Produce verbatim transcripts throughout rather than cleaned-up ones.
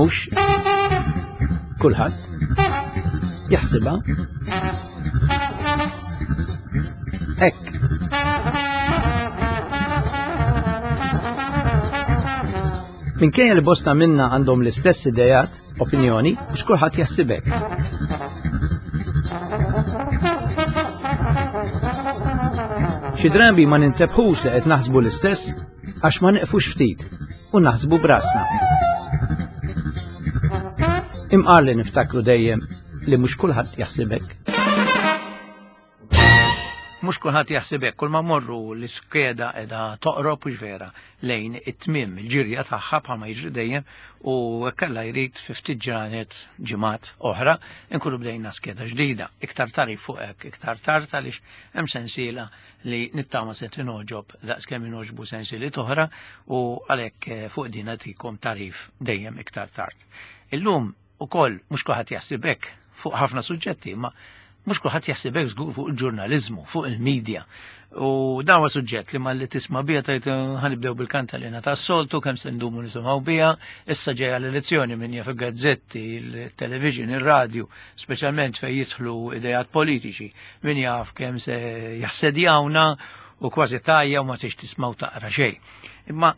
Mhux kulħadd jaħsibha hekk. Minkejja li bosta minna għandhom l-istess idejat, opinjoni, mhux kulħadd jaħsib hekk. Xi drabi ma nintebħux li qed naħsbu l-istess għax ma neqfux ftit u naħsbu brasna. Imqar li niftakru dejjem li mhux kulħadd jaħseb hekk. Mhux kulħadd jaħseb hekk, kull ma morru l-iskeda qiegħda toqrob u vera lejn it-tmiem il-ġirja tagħha bħalma jiġri dejjem u kellha jrid fi ftit ġranet ġimgħat oħra nkunu bdejna skeda ġdida. Iktar tarif fuq hekk, iktar tard għaliex hemm sensiela li nittama se tinogħġob daqskemm inogħġbu sensiliet oħra u għalhekk fuq din nagħtikom tarif dejjem iktar tard. Illum ukoll mhux kulħadd jaħseb hekk fuq ħafna suġġetti, ma mhux kulħadd jaħseb hekk żgur fuq il-ġurnaliżmu, fuq il-medja. U dan huwa suġġett li malli tisma' biha tgħid ħanibdew bil-kantalina tas-soltu kemm se ndumu nisimgħu biha, issa ġejja l-elezzjoni min jaf il-gazzetti, il-television, ir-radju, speċjalment fejn jidħlu idejat politiċi, min jaf kemm se jaħsedjawna u kważi tajja u ma tix tismgħu taqra xejn. Imma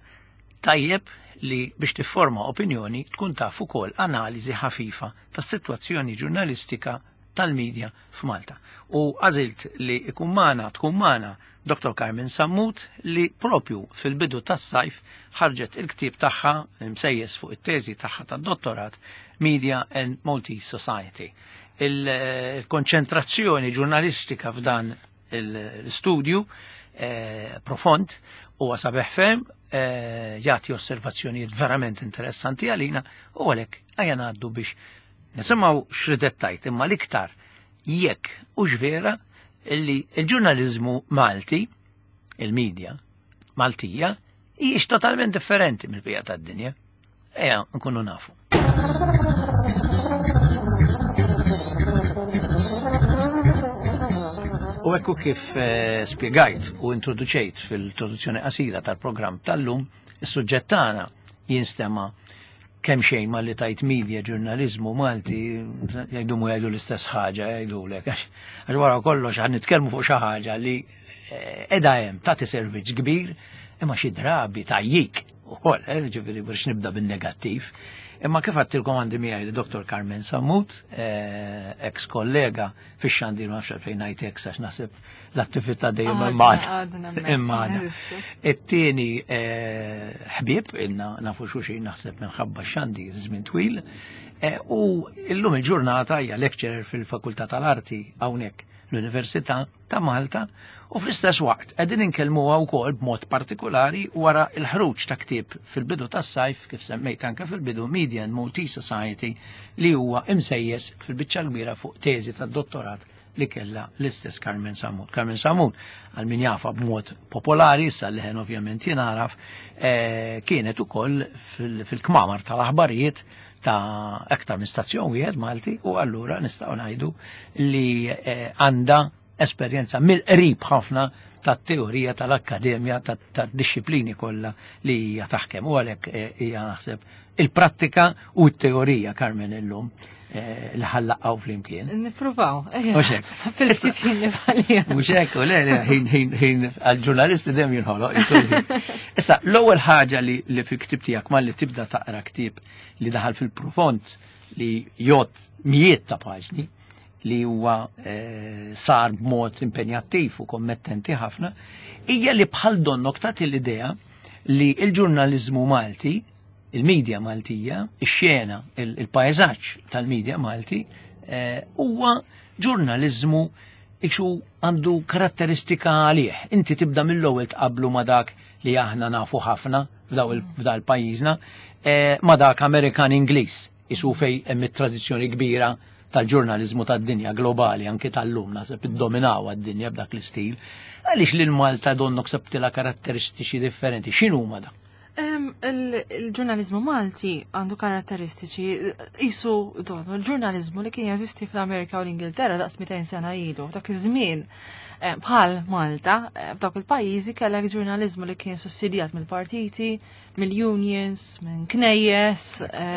tajjeb li biex tifforma opinjoni tkun taf ukoll analiżi ħafifa tas-sitwazzjoni ġurnalistika tal-medja f'Malta. U għażilt li ikun magħna, tkun magħna Doktor Carmen Sammut li propju fil-bidu tas-sajf ħarġet il-ktieb tagħha msejjes fuq it-teżi tagħha tad-dottorat Media and Maltese Society. Il-konċentrazzjoni ġurnalistika f'dan l-studju eh, profond huwa sabiħ ferm, eh, jagħti osservazzjonijiet verament interessanti għalina u għalhekk ejja ngħaddu biex nisimgħu x'ridet tajt, imma l-iktar jekk hux vera li l-ġurnaliżmu Malti, il-medja Maltija, hijiex totalment differenti mill-bqija tad-dinja. Ejja nkunu nafu. U ekku kif eh, spjegajt u introduċejt fil-introduzzjoni qasira tal-programm tal-lum, is-suġġett tagħna jinstema' kemm xejn ma li tajt media ġurnaliżmu Malti jgħidu mu jgħidu l-istess ħaġa jgħidulek għax wara kollox għan nitkellmu fuq xi ħaġa li qiegħda hemm tagħti servizz kbir imma xi drabi tajjik ukoll, eh, ġifieri biex nibda bin-negattiv. Imma kif għattilkom għandi miegħi li Doktor Carmen Sammut, eh, ex kollega fix-xandir, ma nafx għalfejn ngħid ex għax naħseb l-attività dejjem Għadna, imma għadna. It-tieni ħbieb ilna nafu xulxin naħseb minħabba x-xandir żmien twil, eh, u illum il-ġurnata hija lecturer fil-Fakultà tal-Arti hawnhekk l-Università ta' Malta u fl-istess waqt qegħdin inkellmuha wkoll b'mod partikolari wara l-ħruġ ta' ktieb fil-bidu tas-sajf kif semmejt anke fil-bidu Media and Maltese Society li huwa imsejjes fil-biċċa kbira fuq teżi tad-dottorat li kellha l-istess Carmen Sammut. Carmen Sammut, għal min jafa b'mod popolari, issa leħen ovvjament jingħaraf, eh, kienet ukoll fil-kmamar tal-aħbarijiet ta' aktar minn stazzjon wieħed Malti u allura nistgħu ngħidu li eh, għandha esperjenza mill-qrib ħafna tat-teorija tal-akkademja tad-disciplini kollha li hija taħkem u għalhekk eh, hija naħseb il-prattika u t-teorija Carmen illum eh, li ħallaqgħu flimkien. Nippruvaw. Mhux hekk. Fil-ftit ħin li bħalija. Mhux hekk, u le, le, ħin, ħin, ħin, għall-ġurnalisti dejjem jinħoloq, jisu. Issa, l-ewwel ħaġa li, li fil-ktieb tiegħek malli tibda taqra ktieb li daħal fil-profond li jgħodd mijiet ta' paġni li huwa eh, sar b'mod impenjattiv u kommettenti ħafna, hija li bħal donnok tagħti l-idea li l-ġurnaliżmu Malti, il-medja Maltija, ix-xena, il-pajzaġġ tal-medja Malti, eh, huwa ġurnaliżmu ixu għandu karatteristika għalih. Inti tibda mill-ewwel tqablu ma' dak li aħna nafu ħafna f'dal pajjiżna, eh, ma' dak Amerikan Ingliż, isu fej hemm it-tradizzjoni kbira tal-ġurnaliżmu tad-dinja globali, anke tal-lum, naħseb iddominaw għad-dinja b'dak l-istil. Għaliex lil Malta donnok sebtila karatteristiċi differenti, x'inhuma da? Il-ġurnalizmu Malti għandu karatteristiċi jisu donu il-ġurnalizmu li kien jeżisti fl-Amerika u l-Ingilterra daqs mitejn sena ilu. Dak iż-żmien bħal Malta, f'dawk il-pajjiżi kellek ġurnalizmu li kien sussidjat mill-partiti, mill-unions, minn knejjes.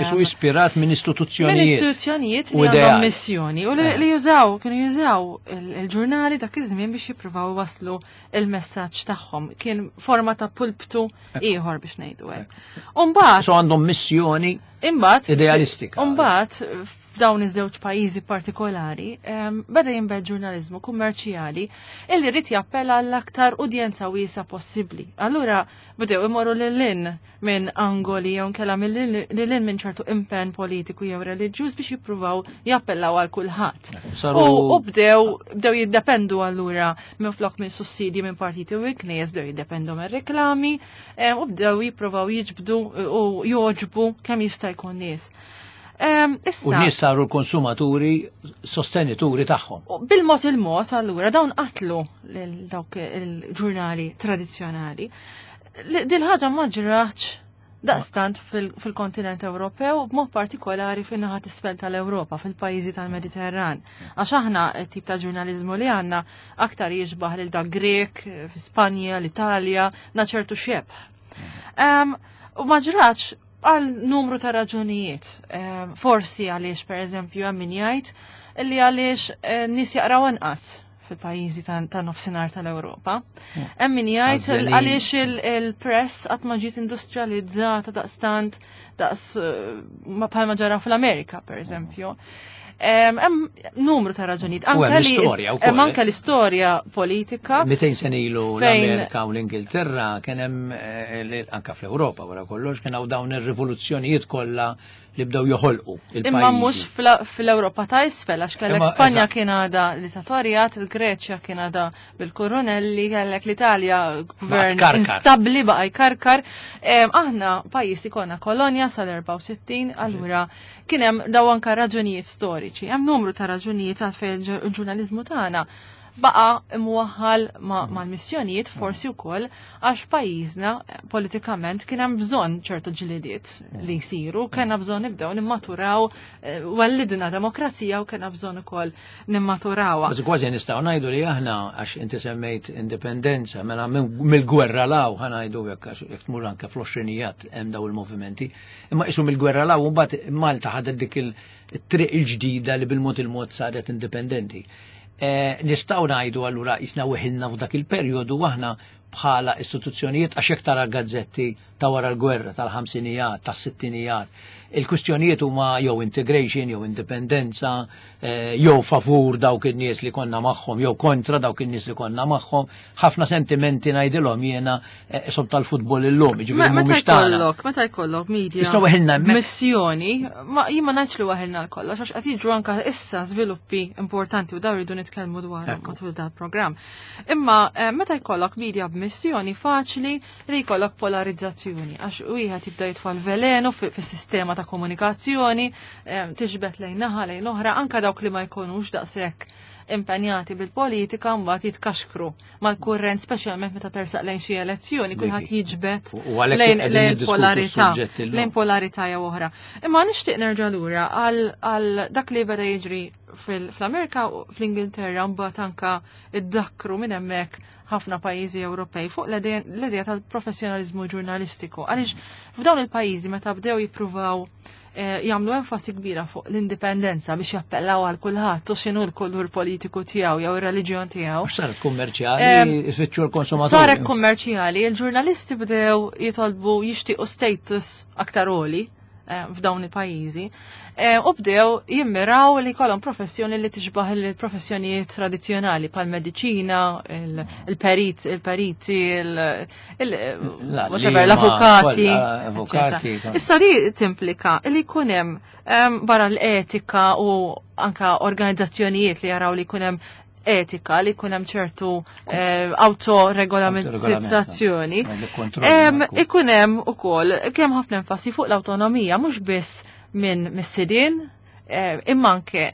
Isu ispirat minn istituzzjonijiet. Minn istituzzjonijiet li għandhom missjoni u li jużaw, kienu jużaw il-ġurnali dak iż-żmien biex jippruvaw waslu il-messaġġ tagħhom. Kien forma ta' pulptu ieħor biex ngħidu hekk. Umbagħad So għandhom missjoni imbagħad idealistika. Imbagħad f'dawn iż-żewġ pajjiżi partikolari beda jinbed ġurnaliżmu kummerċjali illi rid jappella għall-aktar udjenza wiesa possibbli. Allura bdew imorru lil hinn minn angoli jew nkella lil hinn minn ċertu impenn politiku jew reliġjuż biex jippruvaw jappellaw għal kulħadd. U bdew bdew jiddependu allura minn flok minn sussidji minn partiti u knejjes, bdew jiddependu minn reklami u bdew jippruvaw jiġbdu u joġbu kemm jista' jkun nies. U n-nies saru l-konsumaturi sostenituri tagħhom. Bil-mod il-mod allura dawn qatlu lil dawk il-ġurnali tradizzjonali. Dil-ħaġa ma ġratx daqstant fil-kontinent Ewropew, b'mod partikolari fin-naħa t'isfel tal-Ewropa, fil-pajjiżi tal-Mediterran. Għax aħna tip ta' ġurnaliżmu li għandna aktar jixbaħ lil dak Grek, fi Spanja, l-Italja, na ċertu xebh. U ma ġratx għal numru ta' raġunijiet. Forsi għaliex, per eżempju, hemm min jgħid li għaliex nies jaqraw anqas fil-pajjiżi ta' nofsinhar tal-Ewropa. Hemm min jgħid għaliex il-press qatt ma ġiet industrializzata daqstant daqs bħalma ġara fl-Amerika, per eżempju. Hemm numru ta' raġunijiet. Anke l-istorja wkoll. Hemm anke l-istorja politika. mitejn sena ilu l-Amerika u l-Ingilterra kien hemm anke fl-Ewropa wara kollox kien hawn dawn ir-rivoluzzjonijiet kollha li bdew joħolqu il-pajjiżi. Imma mhux fl-Ewropa ta' isfel, għax kellek Spanja kien għadha dittatorjat, il-Greċja kien għadha bil-Koronelli, kellek l-Italja gvern instabbli baqa' jkarkar. Aħna pajjiż li konna kolonja sal-erbgħa u sittin, allura kien hemm daw anke raġunijiet storiċi. Hemm numru ta' raġunijiet għalfejn il-ġurnaliżmu tagħna baqa' imwaħħal mal-missjonijiet forsi wkoll għax pajjiżna politikament kien hemm bżonn ċertu ġlidiet li jsiru, kellna bżonn nibdew nimmaturaw, wellidna demokrazija u kellna bżonn ukoll nimmaturawha. Kważi kważi nistgħu ngħidu li aħna għax inti semmejt indipendenza, mela mill-gwerra law ħa ngħidu hekk għax jekk tmur anke fl-għoxrinijat hemm daw il-movimenti, imma qisu mill-gwerra law mbagħad Malta ħadet dik it-triq il-ġdida li bil-mod il-mod saret indipendenti. Nistgħu ngħidu allura jisna weħilna f'dak il-perjodu aħna bħala istituzzjonijiet għax jekk tara gazzetti ta' wara l-gwerra tal-ħamsinijat, tas-sittinijat, il-kwistjonijiet huma jew integration, jew indipendenza, jew favur dawk in-nies li konna magħhom, jew kontra dawk in-nies li konna magħhom, ħafna sentimenti ngħidilhom jiena sob tal-futbol illum, jiġifieri mhumiex tagħna. Meta jkollok media missjoni, jien ma ngħidx li waħilna l-kollox għax qed jiġru anke issa żviluppi importanti u dawn rridu nitkellmu dwarhom matul dal-programm. Imma meta jkollok media b'missjoni faċli li jkollok polarizzazzjoni għax wieħed jibda jitfa' l-velenu fis-sistema ta' komunikazzjoni, tiġbed lejn naħa lejn oħra, anka dawk li ma jkunux daqshekk impenjati bil-politika mbagħad jitkaxkru mal-kurrent, speċjalment meta tersaq lejn xi elezzjoni, kulħadd jiġbed lejn polarità, lejn polarità jew oħra. Imma nixtieq nerġa' lura għal dak li beda jiġri fl-Amerika u fl-Ingilterra mbagħad anka iddakkru minn hemmhekk ħafna pajjiżi Ewropej fuq l-idea tal-professjonaliżmu ġurnalistiku. Għaliex f'dawn il-pajjiżi meta bdew jippruvaw jagħmlu enfasi kbira fuq l-indipendenza biex jappellaw għal kulħadd u x'inhu l-kulur politiku tiegħu jew ir-reliġjon tiegħu. Saret kummerċjali, ifittxu l-konsumaturi. Saret kummerċjali, il-ġurnalisti bdew jitolbu jixtiequ status aktar għoli f'dawn il-pajjiżi u bdew jimmiraw li jkollhom professjoni li tixbaħ il-professjonijiet tradizzjonali bħal mediċina, il-perit, il-periti, l-avukati. Issa di timplika li jkun hemm barra l-etika u anka organizzazzjonijiet li jaraw li jkun hemm etika, li jkun hemm ċertu autoregolamentazzjoni, ikun hemm ukoll kemm ħafna enfasi fuq l-awtonomija, mhux biss minn mis-sidien, Imma anke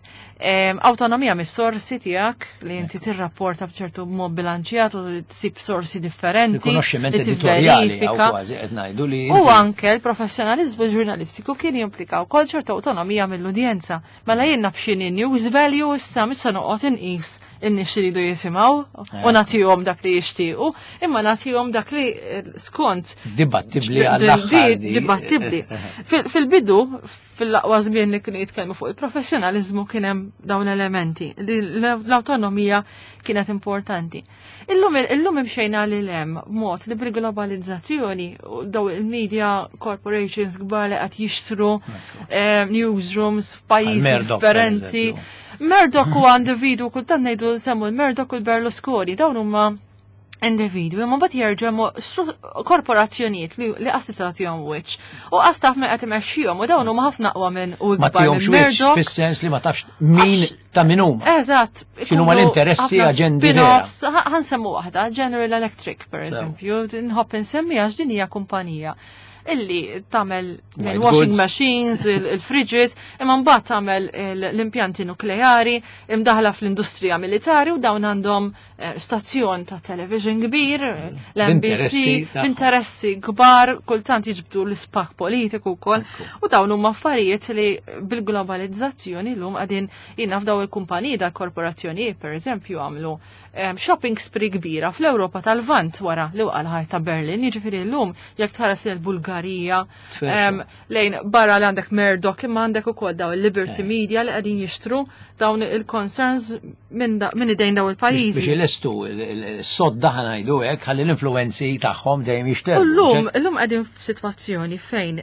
awtonomija mis-sorsi tiegħek li inti tirrapporta b'ċertu mod bilanċjat u tsib sorsi differenti. Rikonoxximent editorjali kważi qed ngħidu li. U anke l-professjonaliżmu ġurnalistiku kien jimplika wkoll ċertu awtonomija mill-udjenza. Mela jien naf x'inhi news value issa mhux se noqgħod inqis in-nies li jridu jisimgħu u nagħtihom dak li jixtiequ, imma nagħtihom dak li skont dibattibbli għall-aħħar. Dibattibbli. Fil-bidu, fil-aqwa żmien li kienu jitkellmu fuq il-professjonaliżmu kien hemm dawn elementi, l-autonomija kienet importanti. Illum illum imxejna lil hemm mod li bil-globalizzazzjoni daw il-media corporations kbar li qed jixtru newsrooms f'pajjiżi differenti. Murdoch huwa individu, kultant ngħidu semmu l-Murdoch u l-Berlusconi, dawn huma individwi, ma mbagħad jerġgħu korporazzjonijiet li li qas tista' tagħtihom wiċċ. U qas taf min qed imexxihom u dawn huma ħafna aqwa minn u ikbar minn Murdoch. Fis-sens li ma tafx min ta' min huma. Eżatt. X'inhuma l-interessi aġendi. Ħansemmu waħda, General Electric per eżempju, nħobb insemmi għax din hija kumpanija illi tagħmel washing machines, il-fridges, imma mbagħad tagħmel l-impjanti nukleari, imdaħla fl-industrija militari u dawn għandhom stazzjon ta' television kbir, l-N B C, interessi kbar, kultant jiġbdu l-ispak politiku wkoll, u dawn huma affarijiet li bil-globalizzazzjoni llum qegħdin jiena f'daw il-kumpaniji dal-korporazzjonijiet pereżempju għamlu shopping spree kbira fl-Ewropa tal-Lvant wara li waqa' l-ħajt ta' Berlin, jiġifieri llum jekk tħares il-Bulgarija lejn barra li għandek Murdoch imma għandek ukoll daw il-Liberty Media li qegħdin jixtru dawn il-concerns minn idejn daw il-pajjiżi. Biex ilestu s-sodda ħanajdu hekk ħalli l-influenzi tagħhom dejjem jixterru. Illum illum qegħdin f'sitwazzjoni fejn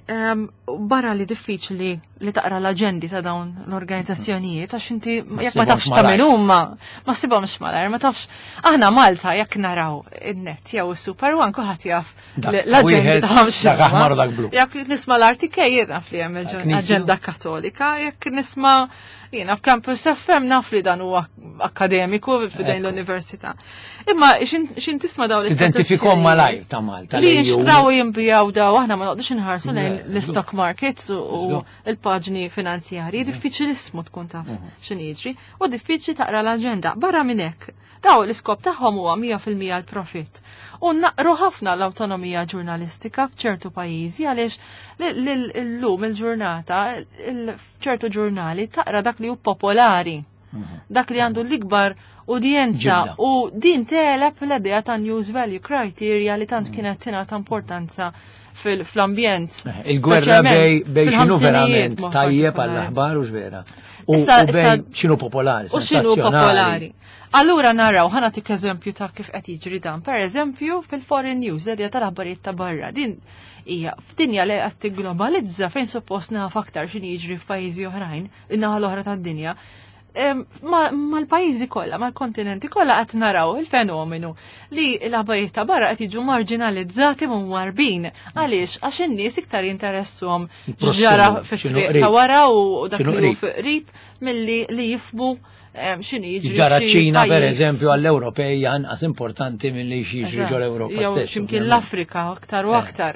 barra li diffiċli li taqra l-aġendi ta' dawn l-organizzazzjonijiet għax inti jekk ma tafx ta' min huma, ma ssibhomx malajr, ma tafx. Aħna Malta jekk naraw in-net jew is-Super One kulħadd jaf l-aġendi tagħhom x'inhuma. Jekk nisma' l-R T K jien naf li hemm aġenda Kattolika, jekk nisma' jiena f'Campus F M naf li dan huwa akademiku f'dejn l-università. Imma xin tisma' dawn l-istituzzjonijiet. Identifikhom malajr ta' Malta. Li jinxtraw u jinbijaw daw, aħna ma noqgħodux inħarsu lejn l-stock markets u l-paġni finanzjarji, diffiċilismu tkun taf x'in jiġri u diffiċli taqra l-aġenda. Barra minn hekk, daw l-iskop tagħhom huwa mija fil-mija l-profitt. U naqru ħafna l-awtonomija ġurnalistika f'ċertu pajjiżi għaliex llum il-ġurnata f'ċertu ġurnali taqra dak li hu popolari, dak li għandu l-ikbar udjenza u din teleb l-idea ta' news value criteria li tant kienet tingħata importanza fl-ambjent. Il-gwerra bej x'inhu verament tajjeb għall-aħbar u x'vera. U bej x'inhu popolari, u x'inhu popolari. Allura naraw, ħa nagħtik eżempju ta' kif qed jiġri dan. Per eżempju, fil-foreign news, l-idea tal-aħbarijiet ta' barra. Din hija f'dinja li qed tigglobalizza fejn suppost naf aktar x'inhi jiġri f'pajjiżi oħrajn, in-naħa l-oħra tad-dinja. Mal-pajjiżi kollha, mal-kontinenti kollha qed naraw il-fenomenu li l-aħbarijiet ta' barra qed jiġu marginalizzati u mwarbin. Għaliex? Għax in-nies iktar jinteressuhom x'ġara fit-triq ta' wara u dak li hu qrib milli li jifhmu x'inhi jiġri. Ġara ċ-Ċina pereżempju għall-Ewropej anqas importanti milli jiġri ġol-Ewropa stess. Jew x'imkien l-Afrika aktar u aktar.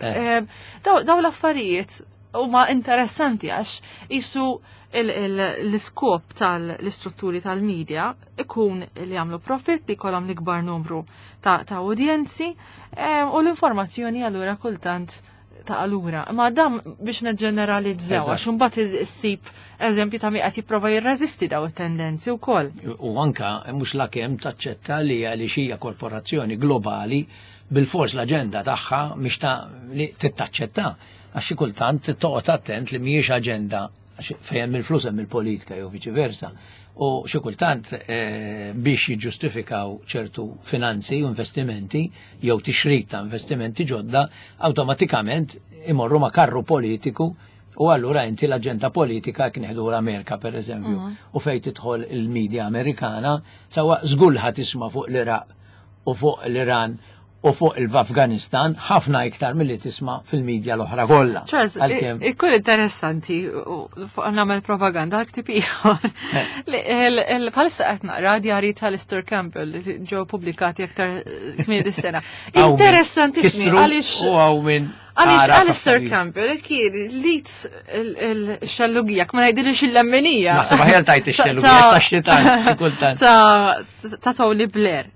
Daw l-affarijiet huma interessanti għax isu l-iskop tal-istrutturi tal-media ikun li jagħmlu profit, li jkollhom l-ikbar numru ta' udjenzi u l-informazzjoni allura kultant ta' allura. Ma dam biex neġġeneralizzaw, għax imbagħad issib eżempju ta' min qed jipprova jirreżisti daw it-tendenzi wkoll. U anka mhux lakemm taċċetta li għaliex hija korporazzjoni globali bil-fors l-aġenda tagħha mhix ta' li tittaċċetta, għax xi kultant toqgħod attent li mhijiex aġenda fejn hemm il-flus hemm il-politika jew viċi versa. U xi kultant biex jiġġustifikaw ċertu finanzi u investimenti jew tixrid ta' investimenti ġodda, awtomatikament imorru ma' karru politiku u allura inti l-aġenda politika kien nieħdu l-Amerika pereżempju u fejn tidħol il-medja Amerikana sawa żgur ħadd tisma' fuq l-Iraq u fuq l-Iran u fuq il-Afganistan ħafna iktar milli tisma' fil-medja l-oħra kollha. Charles, ikun interessanti fuq nagħmel propaganda ktieb ieħor. Bħalissa qed naqra djarji ta' Alistair Campbell li ġew pubblikati aktar kmieni dis-sena. Interessantissimi għaliex u hawn min Għaliex Alistair Campbell kien lit il-xellugija, ma ngħidilix il-lemminija. Naħseb aħjar tajt ix-xellugija tax-xitan xi kultant. Ta' Tony Blair.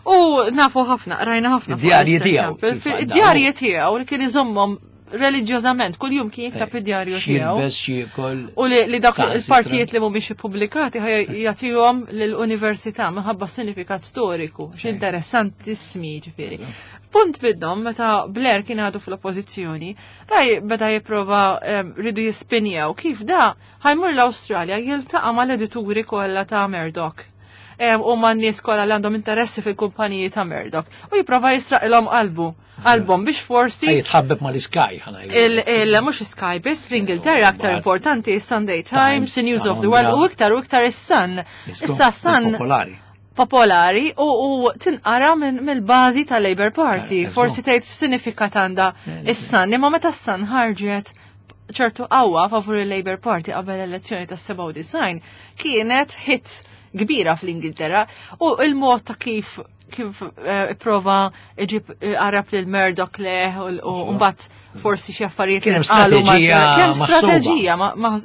U nafu ħafna, rajna ħafna. Id-djarji tiegħu. Id-djarji tiegħu li kien iżommhom reliġjożament, kuljum kien jikteb id-djarju tiegħu. X'jilbes, x'jiekol. U li dak il-partijiet li mhumiex ippubblikati jagħtihom lill-università minħabba sinifikat storiku, x'interessantissimi ġifieri. Punt minnhom meta Blair kien għadu fl-oppożizzjoni, daj beda jipprova ridu jispinjaw kif da ħa jmur l-Awstralja jiltaqa' mal-edituri kollha ta' Murdoch. U man nies kollha li għandhom interessi fil-kumpaniji ta' Murdoch. U jipprova jisraqilhom qalbu, qalbhom biex forsi. Jitħabbeb mal-Sky, ħa ngħidu. Il mhux Sky biss, l-Ingilterra aktar importanti, Sunday Times, News of the World, u iktar u iktar is-Sun. Issa Sun Popolari. Popolari u tinqara mill-bażi ta' Labour Party. Forsi tgħid x'sinifikat għandha is-Sun, imma meta s-Sun ħarġet ċertu qawwa favur il-Labour Party qabel l-elezzjoni tas-sebgħa u disgħin, kienet hit kbira fl-Ingilterra u il-mod ta' kif kif prova iġib qarab lil Murdoch leħ u mbagħad forsi xi affarijiet Kien hemm strateġija. Kien hemm strateġija,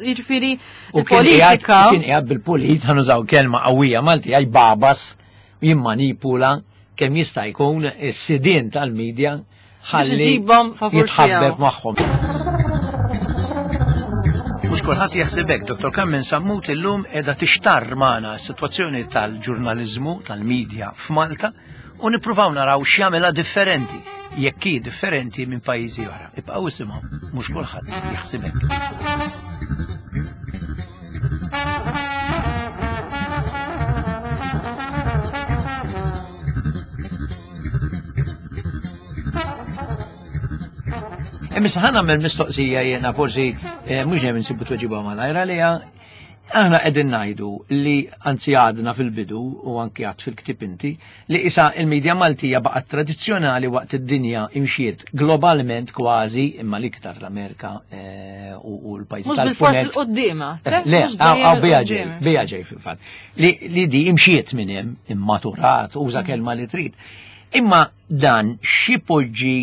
jiġifieri il-politika. Kien qiegħed bil-pulit, ħa nużaw kelma qawwija Malti, għaj babas jimmanipula kemm jista' jkun is-sidien tal-medja ħalli jitħabbeb magħhom. Mhux kulħadd jaħseb hekk, Dottor Carmen Sammut illum qiegħda tixtarr magħna s-sitwazzjoni tal-ġurnaliżmu tal-medja f'Malta u nippruvaw naraw x'jagħmilha differenti, jekk hi differenti minn pajjiżi oħra. Ibqgħu isimgħu, mhux kulħadd jaħseb hekk. Imma ħa nagħmel mistoqsija jiena forsi mhux dejjem insibu tweġiba malajr għaliha. Aħna qegħdin ngħidu li anzi għadna fil-bidu u anki għad fil-ktieb inti li issa il-medja Maltija baqgħet tradizzjonali waqt id-dinja imxiet globalment kważi imma l-iktar l-Amerika u l-pajjiżi Mhux bil-fors il-quddiema. Le, għaw bija ġej, bija ġej fil-fatt. Li di imxiet minn hemm, immaturat, uża kelma li trid. Imma dan xi poġġi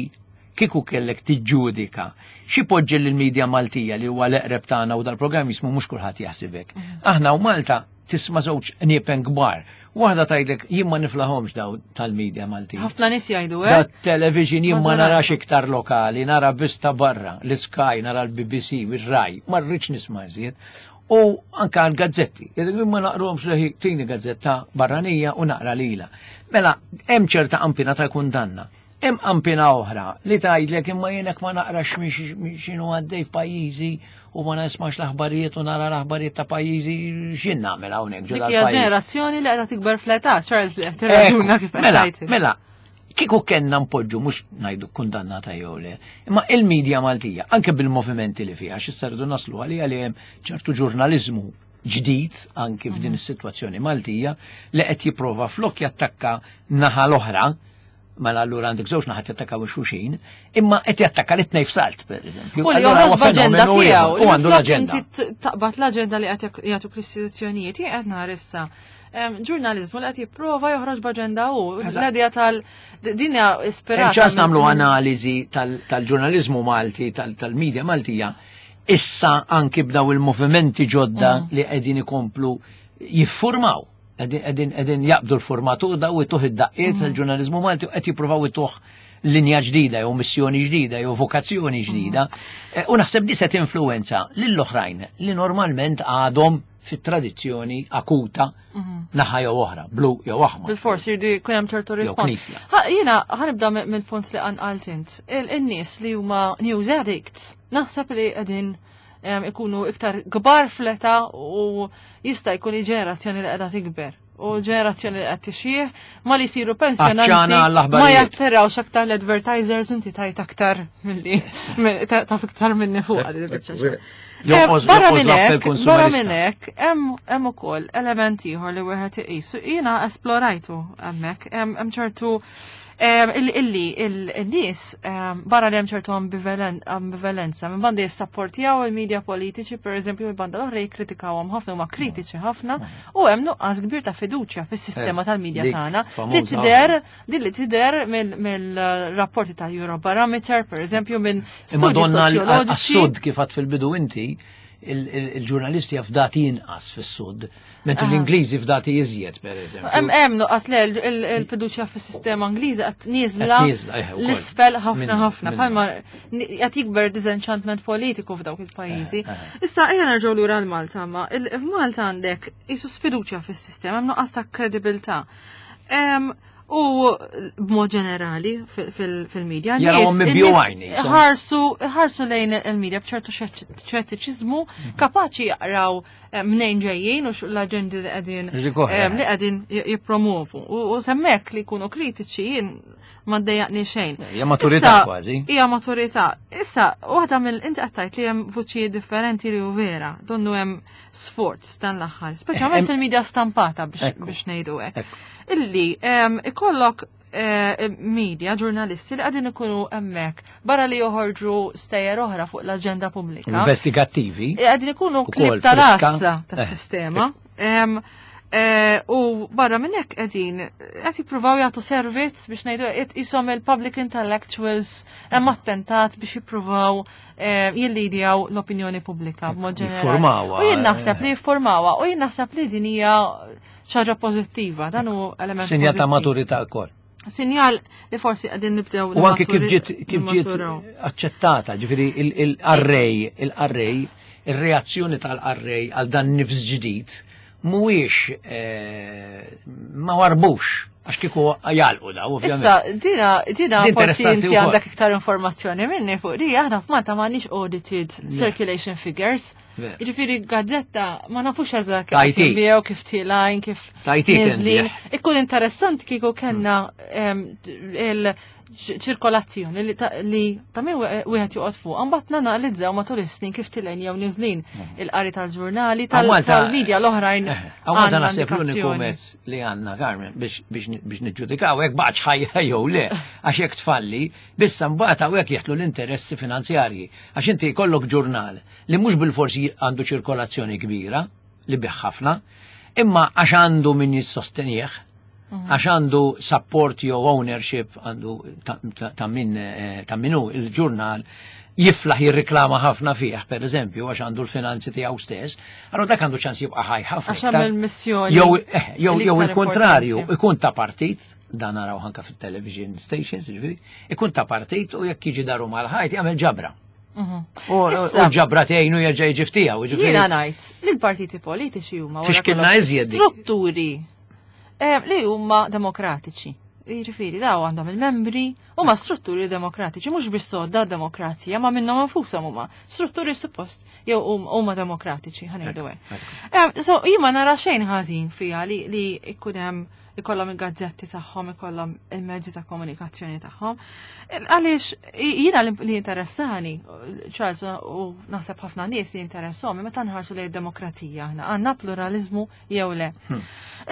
kieku kellek tiġġudika, xi poġġi lill-medja Maltija li huwa l-eqreb tagħna u dal-programm jismu mhux kulħadd jaħsibek. Aħna u Malta tisma' żewġ niepen kbar. Waħda tgħidlek jien ma niflahomx daw tal-medja Maltija. Ħafna nies jgħidu Da hekk. television jien ma Maġġoranza. narax iktar lokali, nara biss ta' barra, l-Sky, nara l-B B C, ir-Rai, ma rridx nisma' iżjed. U anka l-gazzetti, jien ma naqruhomx leħi tini gazzetta barranija u naqra lila. Mela, hemm ċerta qampina ta' kundanna. Hemm qampina oħra li tgħidlek imma jienek ma naqrax x'inhu għaddej f'pajjiżi u ma nismax l-aħbarijiet u nara l-aħbarijiet ta' pajjiżi x'jien nagħmel hawnhekk ġo Dik hija dal-pajjiż. ġenerazzjoni li qiegħda tikber fl-età, Charles, li qed tirraġuna kif qed Mela, tgħid. mela, kieku kellna npoġġu mhux ngħidu kundannata jew le, imma il-medja Maltija, anke bil-movimenti li fiha, x'issa rridu naslu għalija li hemm ċertu ġurnaliżmu ġdid anke f'din is-sitwazzjoni Maltija li qed jipprova flok jattakka naħa l-oħra, mela allura għandek żewġ naħat jattakkaw xulxin, imma qed jattakka li tnejn f'salt, per eżempju. U li Allura joħroġ huwa b'aġenda fenomenu tiegħu, ieħor, u għandu li flok l-aġenda. inti t-, taqbad l-aġenda li qed jagħtu l-istituzzjonijiet, jien qed nara issa. Em, ġurnaliżmu li qed jipprova joħroġ b'aġenda hu, Eżatt. l-idea tal din hija ispirata Hemm ċans minn- nagħmlu analiżi tal-, tal-ġurnaliżmu Malti, tal-, tal-medja Maltija, issa anki b'daw il-movimenti ġodda Mm. li qegħdin ikomplu jiffurmaw. Qegħdin, qegħdin jaqbdu l-formatur daw ituh id-daqqiet Mm. tal-ġurnaliżmu Malti u qed jippruvaw ituh linja ġdida jew missjoni ġdida jew vokazzjoni ġdida. Mm. Eh, u naħseb di se tinfluwenza lill-oħrajn li normalment għadhom fit-tradizzjoni akuta Mhm. naħa jew oħra, blu jew aħmar. Bil-fors jirdu jkun hemm ċertu Jew rispons. knisja. Ha, jiena ħanibda mi-, mill-punt li qanqalt int. Il-nies li huma news addicts, naħseb li qegħdin, em, ikunu iktar kbar fl-età u jista' jkun li ġenerazzjoni li qiegħda tikber. U ġenerazzjoni li qed tixjih ma li jsiru pensjonanti ma jattirawx aktar l-advertisers, inti tajt aktar milli taf iktar minni fuq għal il-biċċa. Barra minn hekk, barra minn hekk hemm ukoll element ieħor li wieħed iqisu. Jiena esplorajtu hemmhekk, hemm ċertu illi il-nies barra li hemm ċertu ambivalenza minn banda jissapportjaw il-medja politiċi, per eżempju, minn banda l-oħra jikkritikawhom ħafna, huma kritiċi ħafna, u hemm nuqqas kbir ta' fiduċja fis-sistema tal-medja tagħna li tidher li tidher mill-rapporti tal-Eurobarometer, per eżempju, minn studji soċjoloġiċi. Għas-sud kif għad fil-bidu inti, il-ġurnalisti fdati inqas fis-sud, mentri l-Ingliżi fdati iżjed, per eżempju. Hemm hemm nuqqas le il-fiduċja fis-sistema Ingliża qed nieżla l-isfel ħafna ħafna, bħalma qed jikber disenchantment politiku f'dawk il-pajjiżi. Issa ejja nerġgħu lura għal Malta, ma f'Malta għandek qisu sfiduċja fis-sistema, hemm nuqqas ta' kredibilità. U b'mod ġenerali fil-medja, ħarsu lejn il-medja b'ċertu xettiċiżmu, kapaċi jaqraw mnejn ġejjin u l-aġendi li qegħdin li qegħdin jippromovu. U semmek li jkunu kritiċi jien ma ddejjaqni xejn. Hija maturità kważi. Hija maturità. Issa, waħda mill inti qed tgħid li hemm vuċijiet differenti li hu vera, donnu hemm sforz dan l-aħħar, speċjalment fil-medja stampata biex ngħidu hekk. Illi ikollok media, ġurnalisti li qegħdin ikunu hemmhekk barra li joħorġu stejjer oħra fuq l-aġenda pubblika. Investigattivi. Qegħdin ikunu klib tal-assa tas-sistema. U barra minn hekk qegħdin qed jippruvaw jagħtu servizz biex ngħidu qed ishom il-public intellectuals hemm attentat biex jippruvaw jillidjaw l-opinjoni pubblika b'mod ġenerali. U jien naħseb li jiffurmawha, u jien naħseb li din hija xi ħaġa pożittiva, dan hu element Sinjal ta' maturità wkoll. Sinjal li forsi qegħdin nibdew. U anke kif ġiet kif ġiet aċċettata, ġifieri il-qarrej, il-qarrej, ir-reazzjoni tal-qarrej għal dan nifs ġdid mhuwiex ma warbux għax kieku jgħalqu da, ovvjament. Issa, dina, dina forsi inti għandek iktar informazzjoni minni fuq di, aħna f'Malta m'għandniex audited circulation figures. Jiġifieri gazzetta ma nafux eżatt kif tinbiegħu, kif tilgħin, kif niżlin. Ikun interessanti kieku kellna il-ċirkolazzjoni li ta' min wieħed joqgħod fuq, mbagħad nanalizzaw matul is-snin kif tilgħin jew niżlin il-qari tal-ġurnali, tal-medja l-oħrajn. Għaw naħseb l-uniku mezz li għandna, Carmen, biex niġġudikaw hekk baqgħet ħajja jew le, għax hekk tfalli, bissa mbagħad hawnhekk jeħlu l-interessi finanzjarji. Għax inti jkollok ġurnal li mhux bil-forsi għandu ċirkolazzjoni kbira, li bih ħafna, imma għax għandu min jissostenih, għax għandu support jew ownership għandu ta' min ta' minu il-ġurnal jiflaħ jirriklama ħafna fih, per eżempju, għax għandu l-finanzi tiegħu stess, allora dak għandu ċans jibqa' ħaj ħafna. Għax hemm il-missjoni. Jew jew il-kontrarju, ikun ta' partit, dan naraw anke fit-television stations, ġifieri, ikun ta' partit u jekk jiġi daru mal-ħajt jagħmel ġabra. U ġabra tgħinu jerġa' jiġi ftiegħu, ġifieri. Jiena ngħid li l-partiti politiċi huma strutturi li huma demokratiċi. Jiġifieri daw għandhom il-membri, huma strutturi demokratiċi, mhux biss sodda demokrazija, ma minnhom infushom huma strutturi suppost jew huma demokratiċi, ħa ngħidu hekk. So jien ma nara xejn ħażin fiha li li jkun hemm ikollhom il-gazzetti tagħhom, ikollhom il-mezzi ta' komunikazzjoni tagħhom. Għaliex jiena li interessani, Charles, u naħseb ħafna nies li interessahom, meta nħarsu lejn id-demokrazija aħna għandna pluralizmu jew le.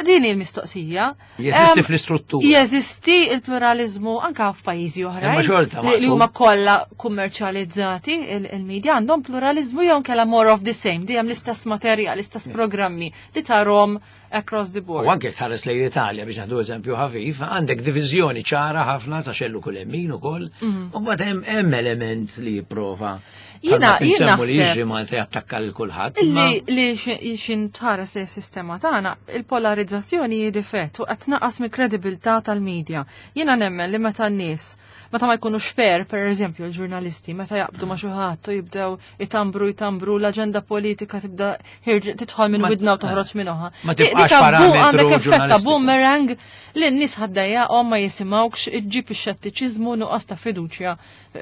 Din hi l-mistoqsija. Jeżisti fl-istruttura. Jeżisti il-pluralizmu anke f'pajjiżi oħrajn li huma kollha kummerċjalizzati il-medja għandhom pluralizmu jew inkella more of the same, dejjem l-istess materjal, l-istess programmi li tarhom across the board. U anke tħares lejn l-Italja biex naħdu eżempju ħafif, għandek diviżjoni ċara ħafna ta' xellu kull min ukoll, u mbagħad hemm element li jipprova. Jiena jiena li jiġri Malta jattakka lil kulħadd. Li li xin tħares is-sistema tagħna, il-polarizzazzjoni hi difett u qed tnaqqas mill-kredibilità tal-medja. Jiena nemmen li meta n-nies meta ma jkunux fair, per eżempju, l-ġurnalisti, meta jaqbdu ma xi ħadd u jibdew itambru jitambru l-aġenda politika tibda tidħol minn widna u toħroġ minn oħra. Ma tibqax Jibqax parametru għandek effett ta' ġurnalistiku. boomerang li n-nies ħaddejjaqhom ma jisimgħukx, iġġib ix-xettiċiżmu, nuqqas ta' fiduċja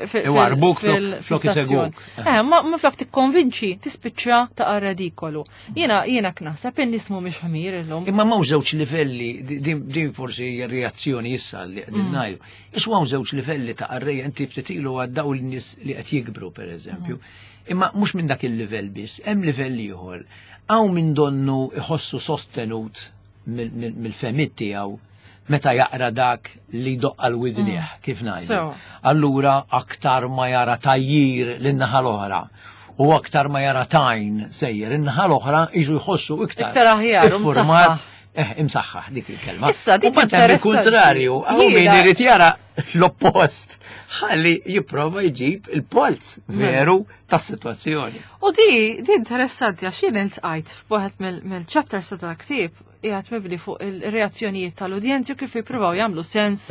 fi- Iwarbuk fil- flok- flok fl-istazzjon. isegwuk. Eh, ma ma flok tikkonvinċi, tispiċċa ta' redikolu. Jiena jiena naħseb in-nies mhumiex ħmir illum. Imma m'hawn żewġ livelli, din din forsi hija reazzjoni issa li qegħdin ngħidu. Isu hawn żewġ livelli ta' qarrejja, inti ftit ilu għaddaw l-nies li qed jikbru pereżempju. Imma mhux minn dak il-livell biss, hemm livell ieħor. Hawn minn donnu iħossu sostenut mill- mill- mill-fehmiet tiegħu meta jaqra dak li doqqa l-widnieh, kif ngħidu. So. Allura aktar ma jara tajjir lin-naħa l-oħra u aktar ma jara tajn sejjer in-naħa l-oħra jiġu jħossu iktar. Iktar aħjar, u Iffurmat, msaħħaħ. eh, imsaħħaħ dik il-kelma. Issa, dik U mbagħad hemm interessanti. il-kontrarju, hawn min Jiena- irid jara l-oppost, ħalli jipprova jġib il-polz veru tas-sitwazzjoni. U di, di interessanti għax jien iltqajt f'waħed mill- mill-chapters ta' ktieb qiegħed mibni fuq il-reazzjonijiet tal-udjenzi u kif jippruvaw jagħmlu sens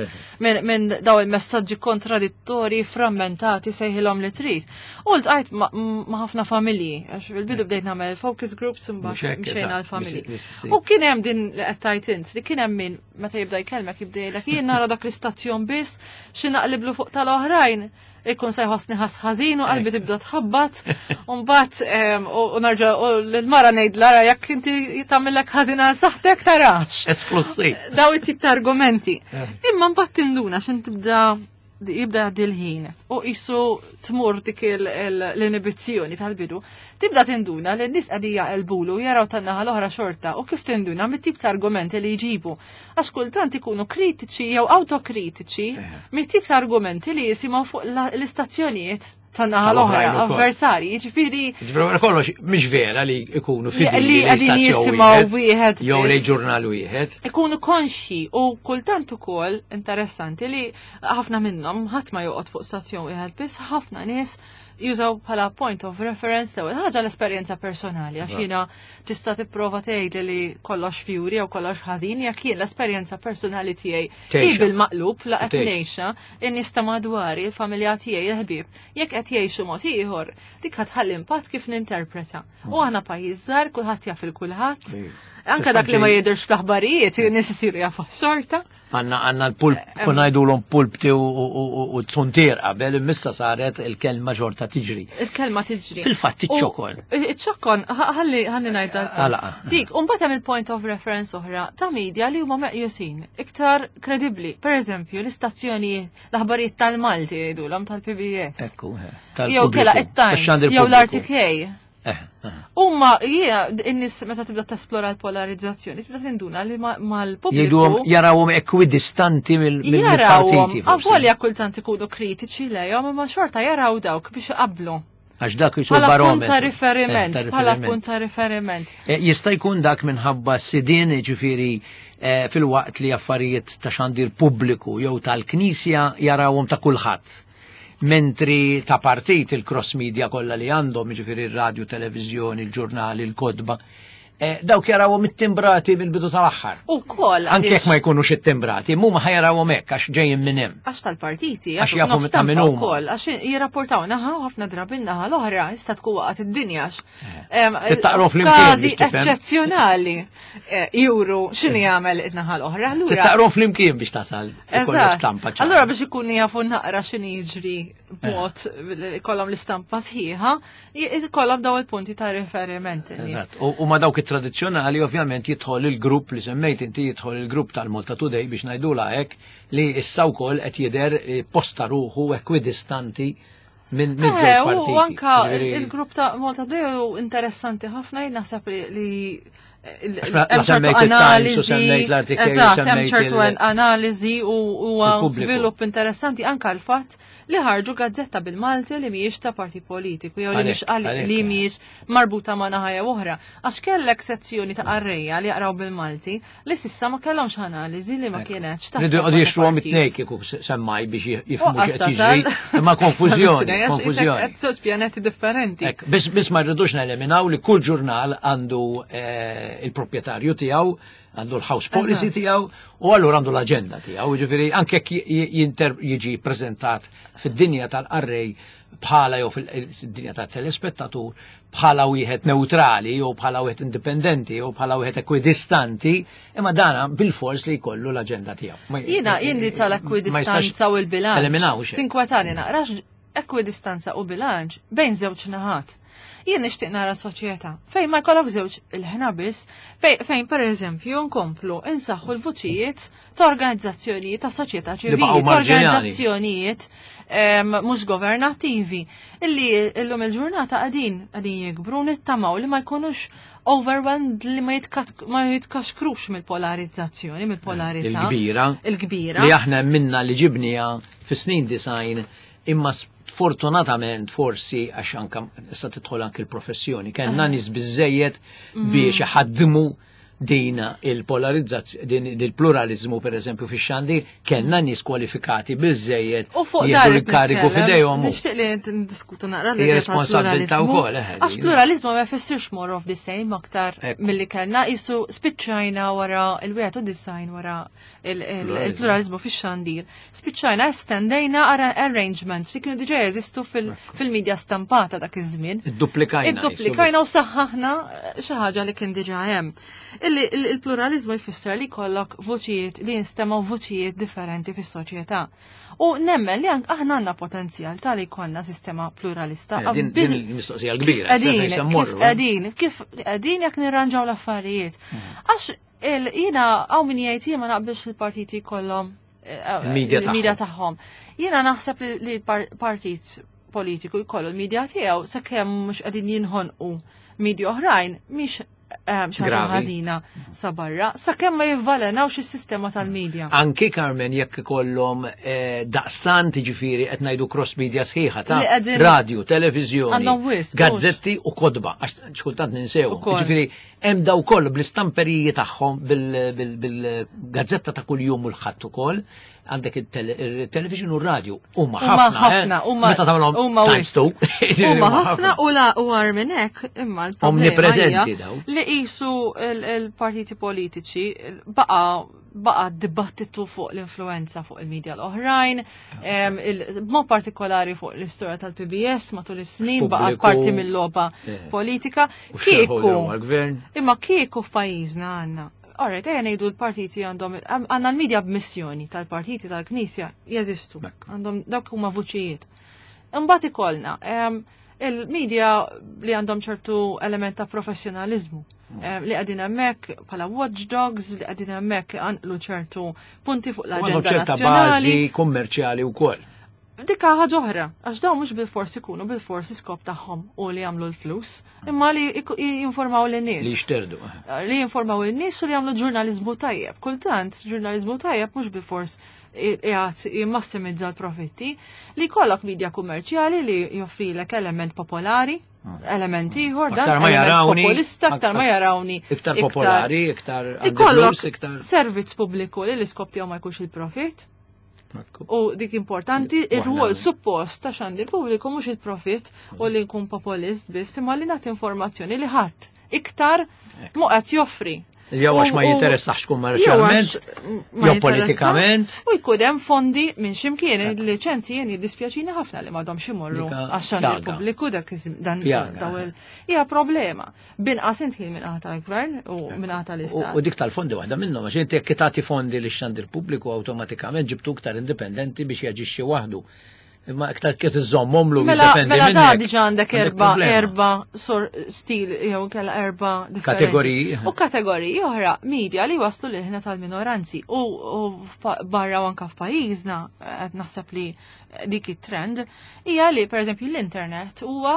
minn min daw il-messaġġi kontradittori, frammentati, sejħilhom li trid. U ltqajt ma' ma' ħafna familji, għax fil-bidu bdejt nagħmel focus groups Mhux imbagħad hekk, mxejna eżatt, għall-familji. biex- biex issir. U kien hemm din li qed tgħid int, li kien hemm min meta jibda jkellmek jibda jgħidlek jien nara dak l-istazzjon biss xi naqliblu fuq tal-oħrajn ikun se jħossni ħas ħażin u qalbi tibda tħabbat u mbagħad em, u u narġa' u l-mara ngħid lara jekk inti tagħmellek ħażin għal saħħtek tarax. Esklusiv. Daw it-tip ta' argumenti. Imma mbagħad tinduna x'in tibda jibda jgħaddi l-ħin u qisu tmur dik il- il- l-inibizzjoni tal-bidu, tibda tinduna li n-nies qegħdin jaqilbulu jaraw tan-naħa l-oħra xorta u kif tinduna mit-tip ta' argumenti li jġibu. Għax kultant ikunu kritiċi jew autokritiċi mit-tip ta' argumenti li jisimgħu fuq la- l-istazzjonijiet tan-naħa l-oħra, Tal-oħrajn ukoll. avversari, jiġifieri Ġifieri wara kollox mhix vera li ikunu fidili li qegħdin stazzjon jisimgħu wieħed jew li biss. ġurnal wieħed. Ikunu konxi u kultant ukoll interessanti li ħafna minnhom ħadd ma joqgħod fuq stazzjon wieħed biss, ħafna nies jużaw bħala point of reference l-ewwel ħaġa l-esperjenza personali għax jiena tista' tipprova tgħid li kollox fjuri jew kollox ħażin jekk jien l-esperjenza personali tiegħi hi Tgħixha. bil-maqlub la qed Tgħix. ngħixha, in-nies ta' madwari, il-familja tiegħi, il-ħbieb, jekk qed jgħixu mod ieħor, dik ħa tħalli impatt kif ninterpreta. U aħna pajjiż żgħar, kulħadd jaf il kulħadd. Anka dak li ma jidhirx fl-aħbarijiet, in-nies isiru jafu xorta. Għanna għanna l-pulp, konna ngħidulhom pulpti u- u u- u zuntier qabel, immissa saret il-kelma xorta tiġri. Il-kelma tiġri. Fil-fatt iċ-ċokon. U- Iċ-ċokon, ħa- ħalli ħalli ngħidha. Għala. Dik, u mbagħad hemm il-point of reference oħra ta' media li huma meqjusin iktar kredibbli. Per eżempju, l-istazzjoni l-aħbarijiet tal-Malti jgħidulhom tal-P B S. Ekku, eh, Jew kella tal-pubbliku, it-Times, tax-xandir jew pubbliku. l-R T K. Eh, eh. Umma, jie, in-nies meta tibda tesplora l-polarizzazzjoni, tibda tinduna li ma- mal-pubbliku. Jgħiduhom jarawhom ekwidistanti mill- mill- Jarawhom, mill-partiti. forsi. avolja kultant ikunu kritiċi lejhom, imma xorta jaraw dawk biex iqablu. Għax dak jisu Bħala punt barometru. ta' riferiment, Eh, ta' bħala riferiment. punt ta' riferiment. Eh, Jista' jkun dak minħabba sidien, ġifieri eh, fil-waqt li affarijiet ta' xandir pubbliku jew tal-Knisja jarawhom ta' kulħadd. Mentri ta' partit il-cross media kollha li għandhom, ġifieri il-radio, televizjoni, il-ġurnali, il-kotba, eh, dawk jarawhom it-timbrati mill-bidu tal-aħħar. U kol, Anke jekk ma jkunux it-timbrati, mhuma ħa jarawhom hekk għax ġejjin minn hemm. Għax tal-partiti, Għax jafu nofs ta' min stampa huma. wkoll, għax jirrapportaw naħa u ħafna drabi naħa l-oħra, issa tkun waqgħet id-dinja għax. Em, Tittaqru flimkien Każi biex tifhem. eċċezzjonali eh, juru x'inhu jagħmel id-naħa l-oħra. Allura, Tittaqru flimkien biex tasal ikollok Eżatt. stampa ċara. Allura biex ikun jafu naqra x'inhi jiġri b'mod ikollhom l-istampa sħiħa, ikollhom daw il-punti ta' riferiment in-nies. Eżatt. U, u ma dawk it-tradizzjonali ovvjament jidħol il-grupp li semmejt inti, jidħol il-grupp tal-Malta Today biex ngħidula hekk, li issa wkoll qed jidher eh, posta ruħu ekwidistanti minn minn Eh, żewġ u partiti. anka Ġifieri- il-grupp ta' Malta Today hu interessanti ħafna, jien naħseb li li Għax la- hemm la ċertu semmejt il-Times u analiżi, semmejt l-R T K u eżatt, hemm semmejt ċertu il- analiżi u huwa il-pubbliku. żvilupp interessanti anka l-fatt li ħarġu gazzetta bil-Malti li mhijiex ta' parti politiku jew li mhix Għalhekk, għal- għalhekk, li eh. mhijiex marbuta ma' naħa jew oħra. Għax kellek sezzjoni ta' qarrejja li jaqraw bil-Malti li s'issa ma kellhomx analiżi li ma kienx ta' Ridu jqogħdu ta' jixtruhom partit. it-tnejn kieku semmaj biex jifhmu U x'qed jiġri. Imma konfużjoni, konfużjoni. Qed żewġ pjaneti differenti. Ek, biss biss ma rridux neliminaw li kull ġurnal għandu eh, il-proprjetarju tiegħu, għandu l-house policy Eżatt. tiegħu u allura għandu l-aġenda tiegħu. Ġifieri anke jekk j- jinter jiġi preżentat fid-dinja tal-qarrej bħala jew fil-dinja tat-telespettatur bħala wieħed neutrali jew bħala wieħed indipendenti jew bħala wieħed ekwidistanti, imma dana bil-fors li jkollu l-aġenda tiegħu. Jiena jien li tal-ekwidistanza u l-bilanċ. Eliminawx. Tinkwetani naqrax ekwidistanza u bilanċ bejn żewġ naħat. Jien nixtieq nara soċjetà fejn ma jkollok żewġ il-ħna biss, fejn pereżempju nkomplu insaħħu l-vuċijiet ta' organizzazzjonijiet ta' soċjetà ċivili, ta' organizzazzjonijiet mhux governattivi illi illum il-ġurnata qegħdin qegħdin jikbru nittamaw li ma jkunux overwhelmed, li ma jitkaxkrux mill-polarizzazzjoni, mill-polarità. Il-kbira. Il-kbira. Li aħna minna li ġibnija fis-snin design, imma fortunatament forsi għax anka issa tidħol anke l-professjoni, kellna nies biżejjed biex iħaddmu din il-polarizzazzjoni, din il-pluralizmu per eżempju fix-xandir, kellna nies kwalifikati biżejjed U fuq jieħdu dan l-karigu f'idejhom. Nixtieq li ndiskutu naqra li Responsabilità wkoll, eh, Għax pluralizmu ma jfissirx more of the same aktar Ekku. milli kellna, qisu spiċċajna wara il-wieħed u design wara il-pluralizmu fix-xandir. Spiċċajna estendejna arrangements li kienu diġà jeżistu fil-medja stampata dak iż-żmien. Idduplikajna. Idduplikajna u saħħaħna xi ħaġa li kien diġà hemm. Illi il-pluralizmu jfisser li jkollok vuċijiet li jinstemaw vuċijiet differenti fis-soċjetà. U nemmen li aħna għandna potenzjal tal jkollna sistema pluralista. Eh, din il-mistoqsija l-kbira. Qegħdin, kif qegħdin, kif qegħdin jekk nirranġaw l-affarijiet. Mhm. Għax jiena hawn min jgħid jien ma naqbilx il-partiti jkollhom eh, il-medja tagħhom. Jiena naħseb li l-partit politiku jkollu l-medja tiegħu sakemm mhux qegħdin jinħonqu medja oħrajn mhix xi ħaġa ħażina sa barra, sakemm ma jivvalenawx is-sistema tal-medja. Anki Carmen jekk ikollhom daqstant jiġifieri qed ngħidu cross media sħiħa ta' radio, televiżjoni, gazzetti u kodba, għax xkultant ninsew. Jiġifieri hemm daw kollu bl-istamperiji tagħhom bil-gazzetta ta' kuljum u l-ħadd ukoll, għandek il-television u r-radio huma ħafna, huma meta tagħmilhom times two. Huma ħafna u la u għar minn hekk imma l-problema Omnipreżenti daw. Li qisu il-partiti politiċi baqa' baqa dibattitu fuq l-influenza fuq il-medja l-oħrajn, b'mod partikolari fuq l-istorja tal-P B S matul is-snin baqa parti mill-logħba politika. Kieku, imma kieku f'pajjiżna għandna. Alright, ejja ngħidu l-partiti għandhom għandna l-medja b'missjoni tal-partiti tal-Knisja jeżistu. Għandhom dawk huma vuċijiet. Imbagħad ikollna il-medja li għandhom ċertu element ta' professjonalizmu li qegħdin hemmhekk bħala watchdogs, li qegħdin hemmhekk għanqlu ċertu punti fuq l-aġenda nazzjonali. Bażi kummerċjali wkoll. Dikka ħaġa oħra, għax dawn mhux bil-fors ikunu bil-fors iskop tagħhom u li jagħmlu l-flus, imma li jinformaw lin-nies. Li jixterdu. Li jinformaw lin-nies u li jagħmlu ġurnaliżmu tajjeb. Kultant ġurnaliżmu tajjeb mhux bil-fors qiegħed jimmassimizza l-profitti, li jkollok media kummerċjali li joffrilek element popolari, element ieħor, dan Aktar ma jarawni, populista, aktar ma jarawni. Iktar popolari, iktar Ikollok servizz pubbliku li l-iskop tiegħu ma jkunx il-profit. U dik importanti, ir-rwol suppost ta' xandir pubbliku mhux il-profit u li nkun populist biss, imma li nagħti informazzjoni li ħadd iktar mu qed joffri. Jew għax ma jinteressax kummerċjalment, jew politikament. U jkun hemm fondi minn x'imkien, il-liċenzji jien jiddispjaċini ħafna li m'għadhomx imorru għax-xandir pubbliku dak dan daw hija problema. Binqas intħil minn naħa tal-gvern u minn naħa tal-istat. U dik tal-fondi waħda minnhom, għax inti jekk tagħti fondi lix xandir pubbliku awtomatikament ġibtu iktar indipendenti biex jaġixxi waħdu. Imma iktar kif iżommhom lu Mela, mela da diġà għandek erba erba sor stil jew kella erba differenti. Kategoriji. U kategoriji oħra media li waslu liħna tal-minoranzi u barra u anka f'pajjiżna qed naħseb li dik it-trend hija li pereżempju l-internet huwa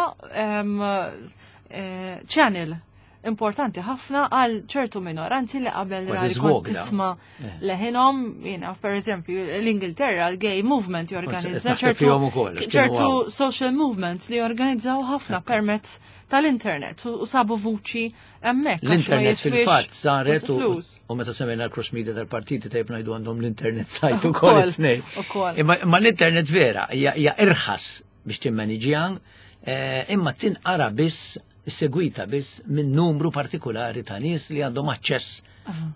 channel importanti ħafna għal ċertu minoranzi li qabel Kważi rari kont żvog, da. tisma' leħinhom, jiena per eżempju l-Ingilterra l-gay movement jorganizza Naħseb ċertu fihom ukoll, għax kienu ċertu hawn. social movements li jorganizzaw ħafna permezz tal-internet u sabu vuċi hemmhekk. Għax ma L-internet jiswiex fil-fatt saret u flus. u meta semmejna l-cross media tal-partiti tajb ngħidu għandhom l-internet site ukoll Ukoll, it-tnejn. ukoll. Imma imma l-internet vera hija hija irħas biex timmaniġja, eh, imma tinqara biss segwita biss minn numru partikolari ta' nies li għandhom aċċess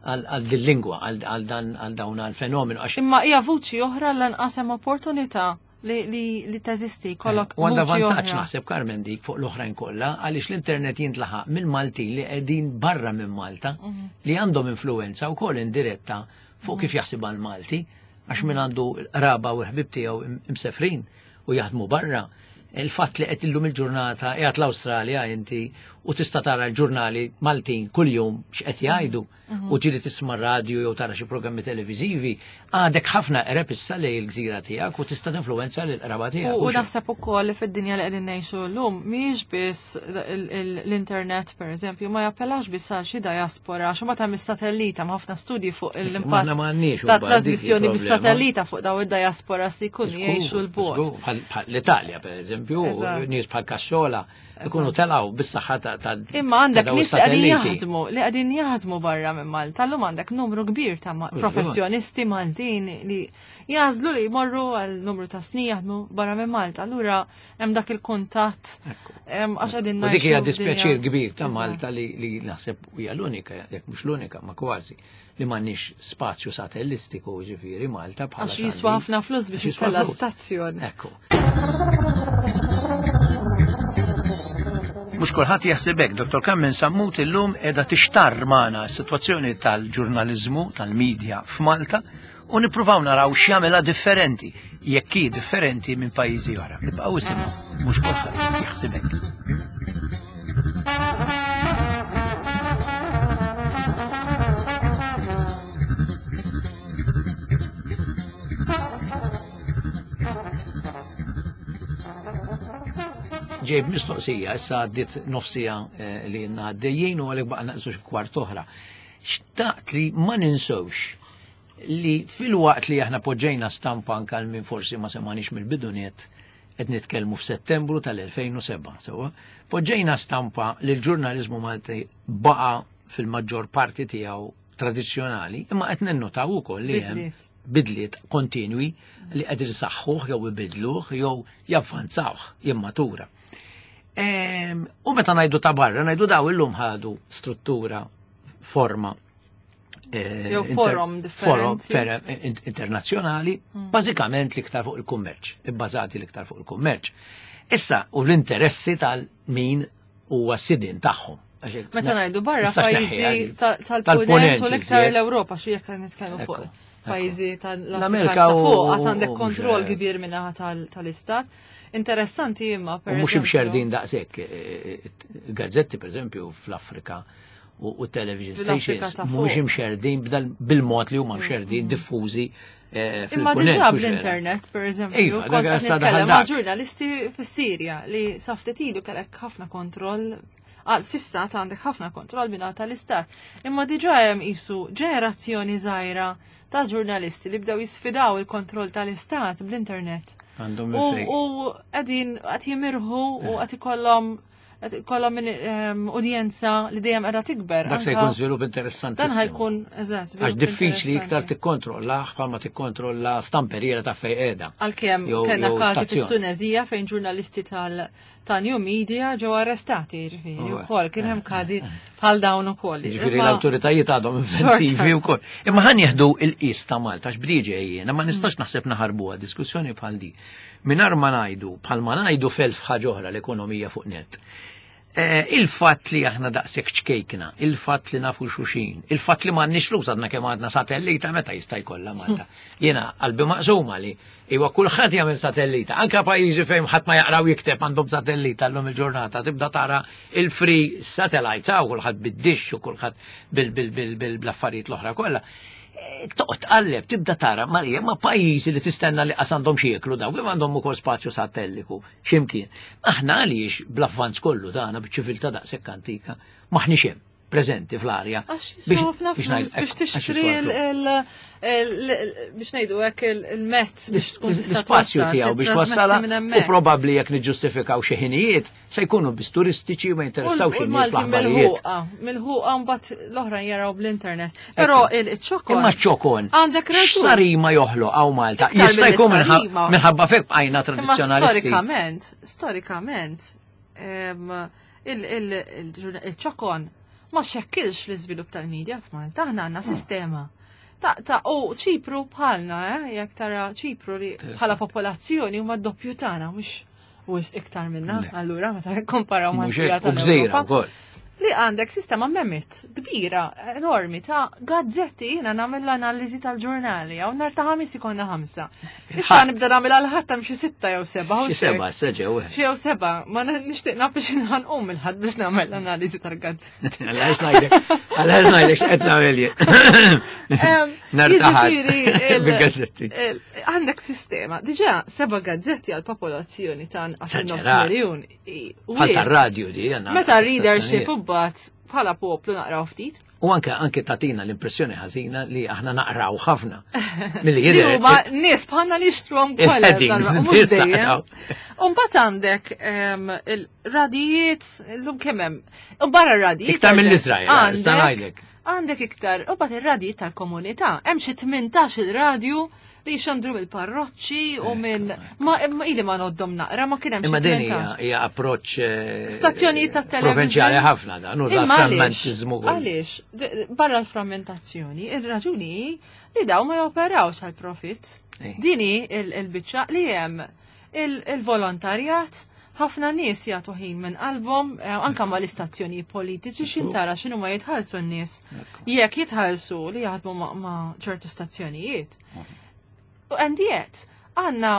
għal għal din lingwa, għal għal dan għal dawn għal fenomenu għax Imma hija vuċi oħra lanqas hemm opportunità li, li, li teżisti kollok. U għandha vantaġġ naħseb Carmen dik fuq l-oħrajn kollha għaliex l-internet jintlaħaq mill-Maltin li qegħdin barra minn Malta mhm. li għandhom influenza wkoll indiretta fuq mhm. kif jaħsibha l-Malti għax min għandu raba u ħbib tiegħu imsefrin u jaħdmu barra. Il-fatt li qed illum il-ġurnata qiegħed l-Awstralja inti u tista' tara l-ġurnali Maltin kuljum x'qed jgħidu mhm. u ġieli tisma' radju jew tara xi programmi televiżivi, għadek ħafna qreb issa lejn il-gżira tiegħek u tista' tinfluwenza lil qraba tiegħek. U naħseb ukoll li fid-dinja li qegħdin ngħixu llum mhijiex biss l-internet pereżempju ma jappellax biss għal xi diaspora xi ma tagħmel satellita ma ħafna studji fuq l-impatt ta' trasmissjoni bis-satellita fuq daw id-diaspora li jkunu jgħixu l-bogħod. L-Italja pereżempju, nies bħal Cassola ikunu telgħu bis-saħħa ta' Imma għandek nies li qegħdin jaħdmu, li qegħdin jaħdmu barra minn Malta. Llum għandek numru kbir ta' professjonisti Maltin li jażlu li jmorru għal numru ta' snin jaħdmu barra minn Malta. Allura hemm dak il-kuntatt għax qegħdin U dik hija dispjaċir kbir ta' Malta li naħseb hija l-unika, jekk mhux l-unika, ma kważi, li m'għandniex spazju satellistiku ġifieri Malta bħala. Għax jiswa ħafna flus biex jkollha stazzjon. Ekku. Mhux kulħadd jaħseb hekk, Dottor Carmen Sammut illum qiegħda tixtarr magħna s-sitwazzjoni tal-ġurnaliżmu, tal-medja f'Malta u nippruvaw naraw x'jagħmilha differenti, jekk hi differenti minn pajjiżi oħra. Nibqgħu isimgħu, mhux kulħadd jaħseb hekk. Ġejb mistoqsija, issa għaddiet nofsija li jenna għaddejjien u għalek baqa naqsu xi kwart oħra. Xtaqt li ma ninsewx li fil-waqt li aħna poġġejna stampa anke għal min forsi ma semanix mill-biduniet qed nitkellmu f'Settembru tal-elfejn u seba', sewwa, poġġejna stampa li l-ġurnaliżmu Malti baqa' fil-maġġor parti tiegħu tradizzjonali, imma qed ninnotaw ukoll li hemm bidliet kontinwi li qed isaħħuh jew ibidluh jew javvanzawh, jimmatura. U meta ngħidu ta' barra, ngħidu daw illum ħadu struttura, forma, jew forum differenti. Forum internazzjonali, bażikament l-iktar fuq il-kummerċ, ibbażati l-iktar fuq il-kummerċ. Issa, u l-interessi tal-min huwa s-sidien tagħhom. Meta ngħidu barra pajjiżi tal-punent u l-iktar l-Ewropa xi jekk nitkellmu fuq pajjiżi tal-Amerika fuq għad għandek kontroll kbir minnaħa tal-istat. Interessanti imma per mhux imxerdin daqshekk gazzetti pereżempju fl-Afrika u television stations mhux imxerdin bil-mod li huma mxerdin diffużi. Imma diġà bl-internet, per eżempju, kont qed nitkellem ma' ġurnalisti fis-Sirja li saftet ilu kellek ħafna kontroll. Sissa għandek ħafna kontroll minn tal-istat. Imma diġà hemm qisu ġenerazzjoni żgħira ta' ġurnalisti li bdew jisfidaw il-kontroll tal-istat bl-internet. U qegħdin qed jimirħu u qed ikollhom kollha minn udjenza li dejjem qiegħda tikber. Dak se jkun żvilupp interessanti. Dan ħajkun eżatt. Għax diffiċli iktar tikkontrolla bħalma tikkontrolla stamperiera ta' fejn qiegħda. Għalkemm kellna każi fit-Tunezija fejn ġurnalisti tal ta' New Media ġew arrestati, ġifieri wkoll kien hemm każi bħal dawn ukoll. Ġifieri l-awtoritajiet għadhom inventivi wkoll. Imma ħan jieħdu il-qis ta' Malta għax bdiġi jiena ma nistax naħseb naħarbuha diskussjoni bħal di. Mingħajr ma ngħidu bħal ma ngħidu felf ħaġa oħra l-ekonomija fuq net. Il-fatt li aħna daqshekk ċkejkna, il-fatt li nafu xuxin, il-fatt li m'għandniex flus għadna kemm għadna satellita meta jista' jkollha Malta. Jiena qalbi maqsuma li iwa kulħadd jagħmel satellita, anke pajjiżi fejn ħadd ma jaqraw jikteb għandhom satellita llum il-ġurnata, tibda tara il-free satellites hawn kulħadd bid-dixx u kulħadd bil-affarijiet l-oħra kollha. Toqgħod tqalleb, tibda tara Marija ma pajjiżi li tistenna li qas għandhom xi jieklu daw, kemm għandhom ukoll spazju satelliku x'imkien. Aħna għaliex bl-avvanz kollu tagħna biċ-ċiviltà daqshekk antika maħniex hemm preżenti fl-arja. Għax jiswa ħafna flus biex tixtri biex ngħidu hekk il-mezz biex tkun l-ispazju tiegħu biex wassalha u probabbli jekk niġġustifikaw xi ħinijiet se jkunu biss turistiċi ma jinteressawx in-nies fl-aħbarijiet. Milħuqa mbagħad l-oħra jaraw bl-internet. Però il-ċokon. Imma ċ-ċokon. Għandek raġun. X'sarima joħloq hawn Malta. Jista' jkun minħabba fek bqajna tradizzjonalisti. Storikament, storikament il-ċokon ma xekkilx l-iżvilupp tal-medja f'Malta, aħna għandna sistema Ta' ta' u Ċipru bħalna, eh, jekk tara Ċipru li bħala popolazzjoni huma doppju tagħna, mhux wisq iktar minna, allura meta komparaw ma' tal-Ewropa. Li għandek sistema memit kbira, enormi, ta' gazzetti, jiena nagħmel l-analiżi tal-ġurnali, għaw nar ta' ħamis ikonna ħamsa. Issa nibda nagħmel għal ħadd xi sitta jew seba'. Xi seba' seġew. Xi jew seba', ma nixtieq naf biex nħanqum il-ħadd biex nagħmel l-analiżi tal-gazzetti. Għalla ngħidlek, għalla ngħidlek x'qed nagħmel jien. Nar ta' ħadd bil-gazzetti. Għandek sistema, diġà seba' gazzetti għal popolazzjoni ta' nqas nofs miljun. Bħal tar-radju di. Meta readership u bħala poplu naqraw ftit. U anke anke tatina l-impressjoni ħażina li aħna naqraw ħafna. Milli jidher. Huma nies bħalna li jixtruhom kollha. Mhux dejjem. U mbagħad għandek il-radijiet illum kemm hemm. U barra r-radijiet. Iktar mill-Iżrael, nista' ngħidlek. Għandek iktar, u mbagħad ir-radijiet tal-komunità. Hemm xi tmintax il-radju li xandru mill-parroċċi u minn ma ili ma noddhom naqra ma kien hemm xi. Imma din hija approċċ stazzjonijiet ta' television provinċjali ħafna dan u da frammentiżmu. Għaliex, barra l-frammentazzjoni, ir-raġuni li daw ma joperawx għal profit. Dini il-biċċa li hemm il-volontarjat, ħafna nies jagħtu ħin minn qalbhom, anke mal-istazzjoni politiċi x'intara x'inhu ma jitħallsu n-nies. Jekk jitħallsu li jaħdmu ma' ċertu stazzjonijiet. And yet, għanna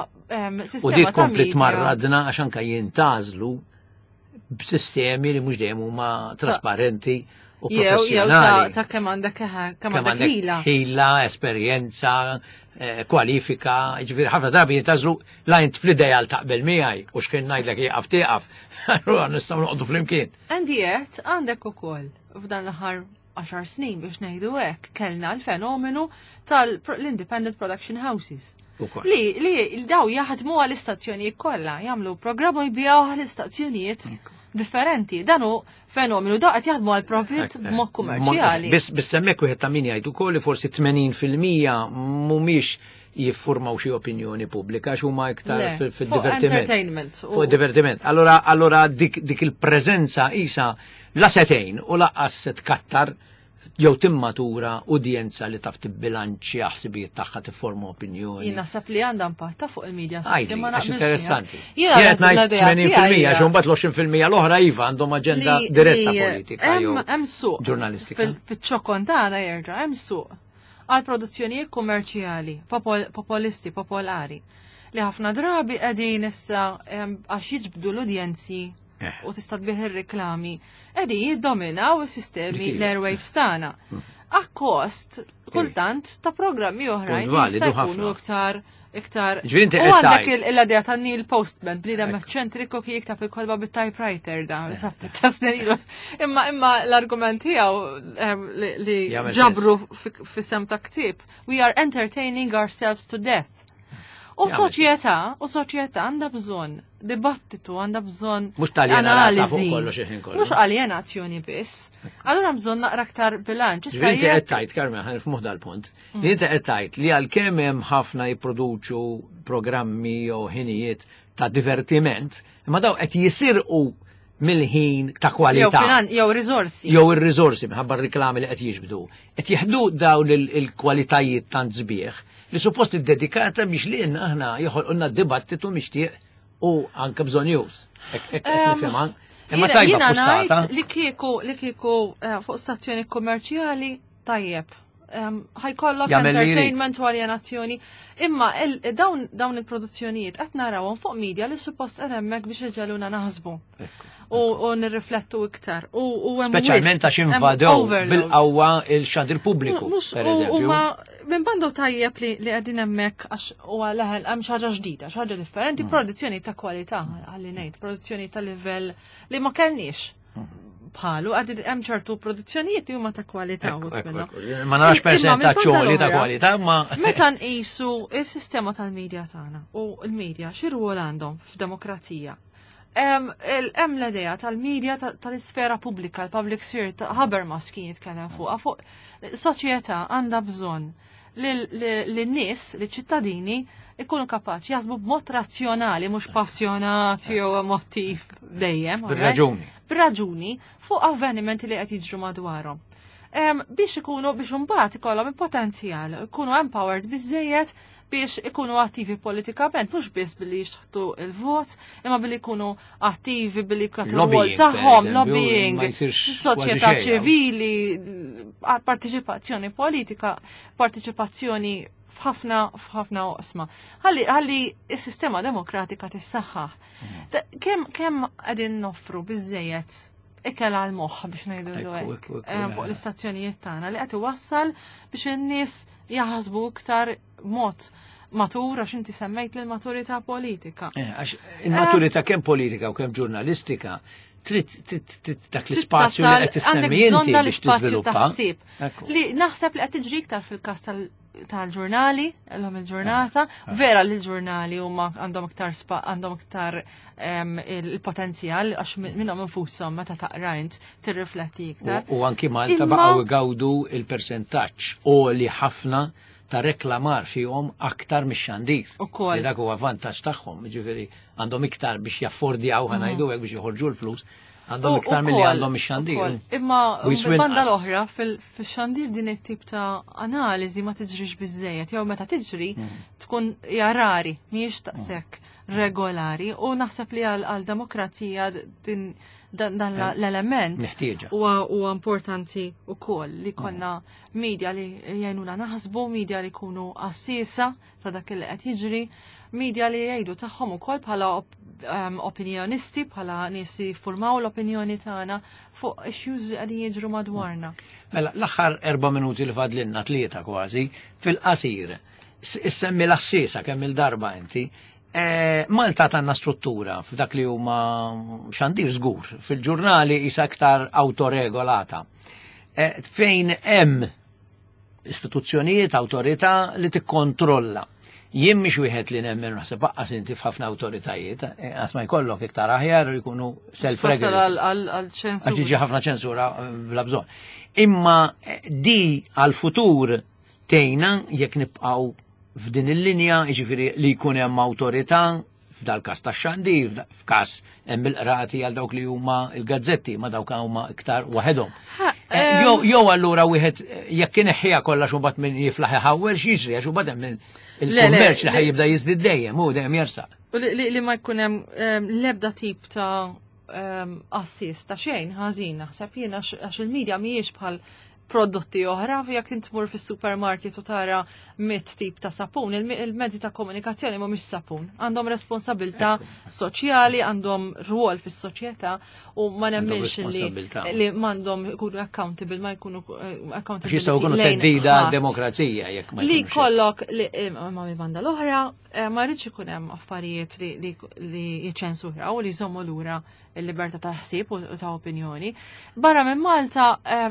sistema. U dik kompli tmarradna għax anka jintazlu b'sistemi li mhux dejjem huma trasparenti u professjonali. Jew ta' kemm għandek kemm għandek ħila. Ħila, esperjenza, kwalifika, ġifieri ħafna drabi jintazlu la int fl-ideal taqbel miegħi u x'kien ngħidlek jieqaf tieqaf. Allura nistgħu noqogħdu flimkien. And yet, għandek ukoll f'dan l-aħħar għaxar snin biex ngħidu hekk kellna l-fenomenu tal-Independent Production Houses. Li li daw jaħdmu għall-istazzjonijiet kollha, jagħmlu programm u jbigħu għall-istazzjonijiet differenti. Dan hu fenomenu da qed jaħdmu għal profit b'mod kummerċjali. Biss biss hemmhekk wieħed ta' min jgħid ukoll li forsi tmenin fil-mija mhumiex jiffurmaw xi opinjoni pubblika għax huma iktar fid-divertiment. Fuq divertiment. Allora allora dik dik il-preżenza isa la setejn u laqqas se tkattar jew timmatura udjenza li taf tibbilanċi ħsibijiet tagħha tifforma opinjoni. Jien naħseb li għandha impatt fuq il-media system ma naqbilx. Interessanti. Jien qed ngħid tmenin fil-mija għax imbagħad l-għoxrin fil-mija l-oħra iva għandhom aġenda diretta politika jew hemm suq ġurnalistika. Fiċ-ċokon tagħna jerġa' hemm suq għal produzzjonijiet kummerċjali, popolisti, popolari, li ħafna drabi qegħdin issa għax jiġbdu l-udjenzi u tista' tbih ir-reklami, qegħdin jiddominaw is-sistemi l-airwaves tagħna. Akkost kultant ta' programmi oħrajn jista' jkunu iktar iktar. U għandek l-idea ta' Neil Postman, bniedem eċċentriku kien jiktab il-kolba bit-typewriter da, sa' Imma imma l-argument tiegħu li ġabru fis-sem ta' ktieb, we are entertaining ourselves to death. U soċjetà, u soċjetà għandha bżonn dibattitu, għandha bżonn analiżi. Mhux aljenazzjoni biss. Allura bżonn naqra aktar bilanċ. Issa inti qed tgħid, Carmen, ħa nifhmu dal-punt. Inti qed tgħid li għalkemm hemm ħafna jipproduċu programmi jew ħinijiet ta' divertiment, imma daw qed jisirqu mill-ħin ta' kwalità. Jew riżorsi. Jew ir-riżorsi minħabba r-riklami li qed jiġbdu. Qed jieħdu dawn il-kwalitajiet tant sbieħ li suppost iddedikata biex li aħna joħolqulna dibattitu mixtieq u anke bżonn news. Imma tajba ngħid li kieku li kieku fuq stazzjoni kummerċjali tajjeb. Ħajkollok entertainment u aljenazzjoni. Imma dawn dawn il-produzzjonijiet qed narawhom fuq media li suppost qed hemmhekk biex iġegħluna naħsbu. U nirriflettu iktar. U speċjalment għax invadew bil-qawwa il-xandir pubbliku. U ma minn bandu tajjeb li qegħdin hemmhekk għax huwa leħel hemm xi ħaġa ġdida, xi ħaġa differenti, produzzjoni ta' kwalità ħalli ngħid, produzzjoni ta' livell li ma kellniex bħalu, għad hemm ċertu produzzjonijiet li huma ta' kwalità uħud minnhom. Ma narax persentazzjoni ta' kwalità, ma meta nqisu il-sistema tal-medja tagħna u l-medja xi rwol għandhom f'demokrazija. Hemm l-idea tal-medja tal-isfera pubblika, l-public sphere, Habermas kien jitkellem fuqha, fuq soċjetà għandha bżonn lin-nies, liċ-ċittadini ikunu kapaċi jaħsbu b'mod razzjonali, mhux passjonat jew emotiv dejjem. Bir-raġuni. Bir-raġuni fuq avvenimenti li qed jiġru madwarhom. Biex ikunu biex imbagħad ikollhom il-potenzjal, ikunu empowered biżejjed biex ikunu attivi politikament, mhux biss billi jixħtu il-vot, imma billi jkunu attivi billi jagħtu rwol tagħhom, lobbying, soċjetà ċivili, partiċipazzjoni politika, partiċipazzjoni f'ħafna f'ħafna oqsma. Ħalli ħalli s-sistema demokratika tissaħħaħ. Kemm kemm qegħdin noffru biżejjed ikel għal moħħ biex ngħidu fuq l-istazzjonijiet tagħna li qed iwassal biex in-nies jaħsbu iktar mod matur, għax inti semmejt l-maturità politika. Għax il-maturità kemm politika u kemm ġurnalistika trid dak l-ispazju li qed tissemmi inti biex tiżviluppa. Li naħseb li qed tiġri iktar fil-każ tal-ġurnali, l-lum il-ġurnata, vera li l-ġurnali huma għandhom iktar għandhom iktar il-potenzjal għax minnhom infushom meta taqra int tirrifletti iktar. U anki Malta baqgħu igawdu il-persentaġġ għoli ħafna ta' reklamar fihom aktar mix-xandir. Ukoll. Dak huwa vantaġġ tagħhom, jiġifieri għandhom iktar biex jaffordjaw ħa ngħidu hekk biex joħorġu l-flus, għandhom iktar milli għandhom ix-xandir. Imma banda l-oħra fil-xandir din it-tip ta' analiżi ma tiġrix biżejjed, jew meta tiġri tkun hija rari, mhijiex taqsek regolari, u naħseb li għal demokrazija din dan l-element huwa importanti wkoll li konna media li jgħinuna naħsbu, media li jkunu assisa ta' dak li qed jiġri, media li jgħidu tagħhom ukoll bħala opinjonisti, bħala nies li jiffurmaw l-opinjoni tagħna fuq issues li qegħdin jiġru madwarna. Mela, l-aħħar erba' minuti li fadlinna, tlieta kważi, fil-qasir, issemmi l-assisa kemm il-darba inti. Malta tanna struttura f'dak li huma xandir żgur, fil-ġurnali isa aktar autoregolata. Fejn hemm istituzzjonijiet, awtorità li tikkontrolla. Jien mhix wieħed li nemmen naħseb aqqas inti f'ħafna awtoritajiet, għax ma jkollok iktar aħjar jkunu self-regulated. Għal ċensura. Għax ħafna ċensura bla bżonn. Imma di għal-futur tejna jekk nibqgħu f'din il-linja, jiġifieri li jkun hemm awtorità f'dal każ tax-xandir, f'każ hemm il-qrati għal dawk li huma l-gazzetti, ma dawk huma iktar waħedhom. Jew allura wieħed jekk ineħħiha kollha xi mbagħad min jiflaħ iħawwel x'jiġri, għax imbagħad hemm il-kummerċ li ħajjibda jiżdied dejjem, hu dejjem jersaq. U li ma jkun hemm l-ebda tip ta' assist ta' xejn ħażin naħseb jien għax il-medja mhijiex bħal prodotti oħra, jekk inti tmur fis-supermarket u tara mitt tip ta' sapun, il-mezzi ta' komunikazzjoni mhumiex sapun. Għandhom responsabilità soċjali, għandhom rwol fis-soċjetà u ma nemminx li li m'għandhom ikunu accountable, ma jkunu accountable. Jistgħu jkunu theddida demokrazija jekk ma li kollok li ma banda l-oħra ma rridx ikun hemm affarijiet li li jiċċensuraw u li jżommu lura il-libertà ta' ħsieb u ta' opinjoni. Barra minn Malta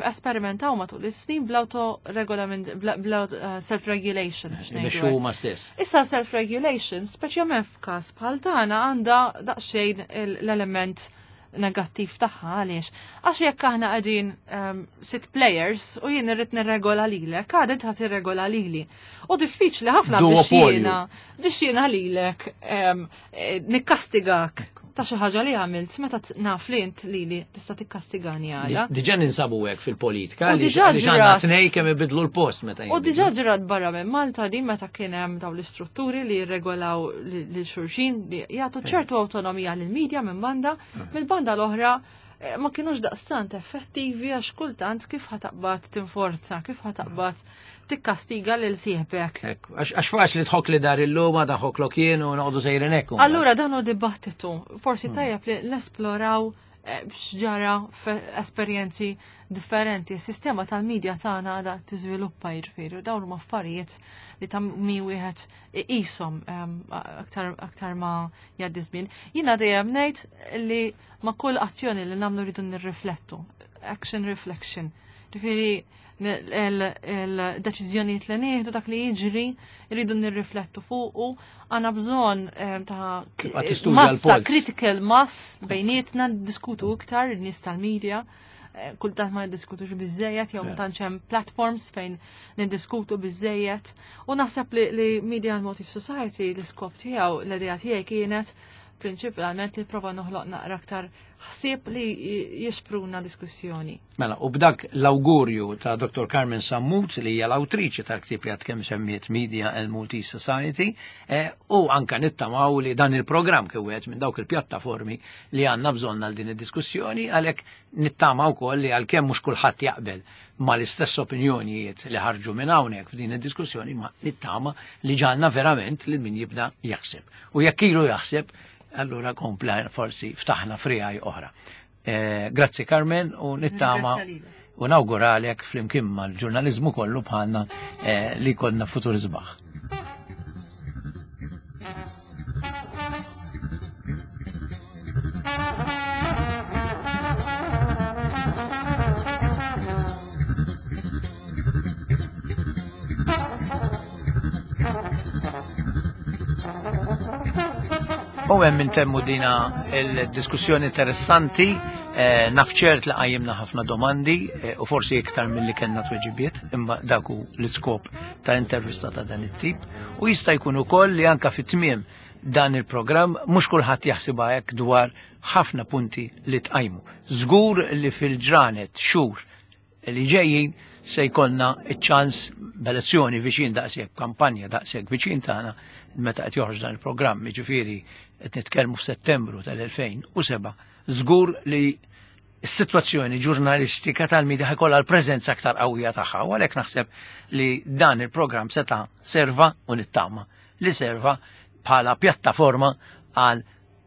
esperimentaw matul is-snin bl-autoregolament, bl self-regulation. Biex huma stess. Issa self-regulation, speċjalment f'każ bħal tagħna, għandha daqsxejn l-element negattiv tagħha. Għaliex? Għax jekk aħna qegħdin sitt players u jien irrid nirregola lilek, għad int ħadd irregola lili. U diffiċli ħafna biex jiena biex jiena lilek nikkastigak ta' xi ħaġa li għamilt meta naf li int lili tista' tikkastigani għala. Diġà ninsabu hekk fil-politika li għandna tnej kemm ibidlu l-post meta. U diġà ġrat barra minn Malta din meta kien hemm dawn l-istrutturi li jirregolaw lil xulxin li jagħtu ċertu awtonomija lill-medja minn banda, mill-banda l-oħra ma kienux daqstant effettivi għax kultant kif ħataqbad tinforza, kif ħataqbad tikkastiga lil sieħbek. Għax faċli tħok li dar il-luma, taħok jien u noqogħdu sejrin hekk. Allura dan hu dibattitu, forsi tajjeb li nesploraw x'ġara f'esperjenzi differenti. Is-sistema tal-medja tagħna għadha tiżviluppa, jiġifieri, dawn huma affarijiet li ta' mi wieħed iqishom aktar aktar ma jgħaddi żmien. Jiena dejjem ngħid li ma' kull azzjoni li nagħmlu rridu nirriflettu. Action reflection. Ġifieri il-deċiżjonijiet li nieħdu, dak li jiġri, rridu nirriflettu fuqu, għandna bżonn ta' massa, critical mass bejnietna, diskutu iktar in-nies tal-medja, kultant ma niddiskutux biżejjed jew ma tantx hemm platforms fejn niddiskutu biżejjed. U naħseb li, li Media and Multi Society l-iskop tiegħu, l-idea tiegħi kienet prinċipalment li prova noħloq naqra aktar ħsieb li jixpruna diskussjoni. Mela, u b'dak l-awgurju ta' Dottor Carmen Sammut, li hija l-awtriċi tal-ktieb li għad kemm semmiet Media and Maltese Society, eh, u anka nittamaw li dan il-programm kien wieħed minn dawk il-pjattaformi li għandna bżonn għal din id-diskussjoni, għalhekk nittama wkoll li għalkemm mhux kulħadd jaqbel mal-istess opinjonijiet li ħarġu minn hawnhekk f'din id-diskussjoni, ma nittama li ġalna verament lil min jibda jaħseb. U jekk ilu jaħseb, allura kompla forsi ftaħna frijaj oħra. Eh, grazzi Carmen, u nittama u nawguralek flimkien mal-ġurnaliżmu kollu bħalna eh, li konna futur isbaħ. U hemm intemmu dina il-diskussjoni interessanti, eh, nafċert li qajjimna ħafna domandi eh, u forsi iktar milli kellna tweġibiet, imma dak hu l-iskop ta' intervista ta' dan it-tip. U jista' jkun ukoll li anka fit-tmiem dan il-programm mhux kulħadd jaħsibha hekk dwar ħafna punti li tqajmu. Żgur li fil-ġranet xhur li ġejjin se jkollna ċ-ċans b'elezzjoni viċin daqshekk, kampanja daqshekk viċin tagħna meta qed joħroġ dan il-programm, jiġifieri qed nitkellmu f'Settembru tal-elfejn u seba', żgur li s-sitwazzjoni ġurnalistika tal-medja ħajkollha l-preżenza aktar qawwija tagħha, u għalhekk naħseb li dan il-programm seta' serva u nittama li serva bħala pjattaforma għal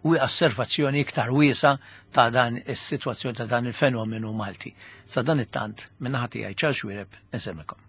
osservazzjoni iktar wiesa ta' dan is-sitwazzjoni ta' dan il-fenomenu Malti. Sa dan it-tant, minn naħa tiegħi Charles Xuereb, insellmilkom.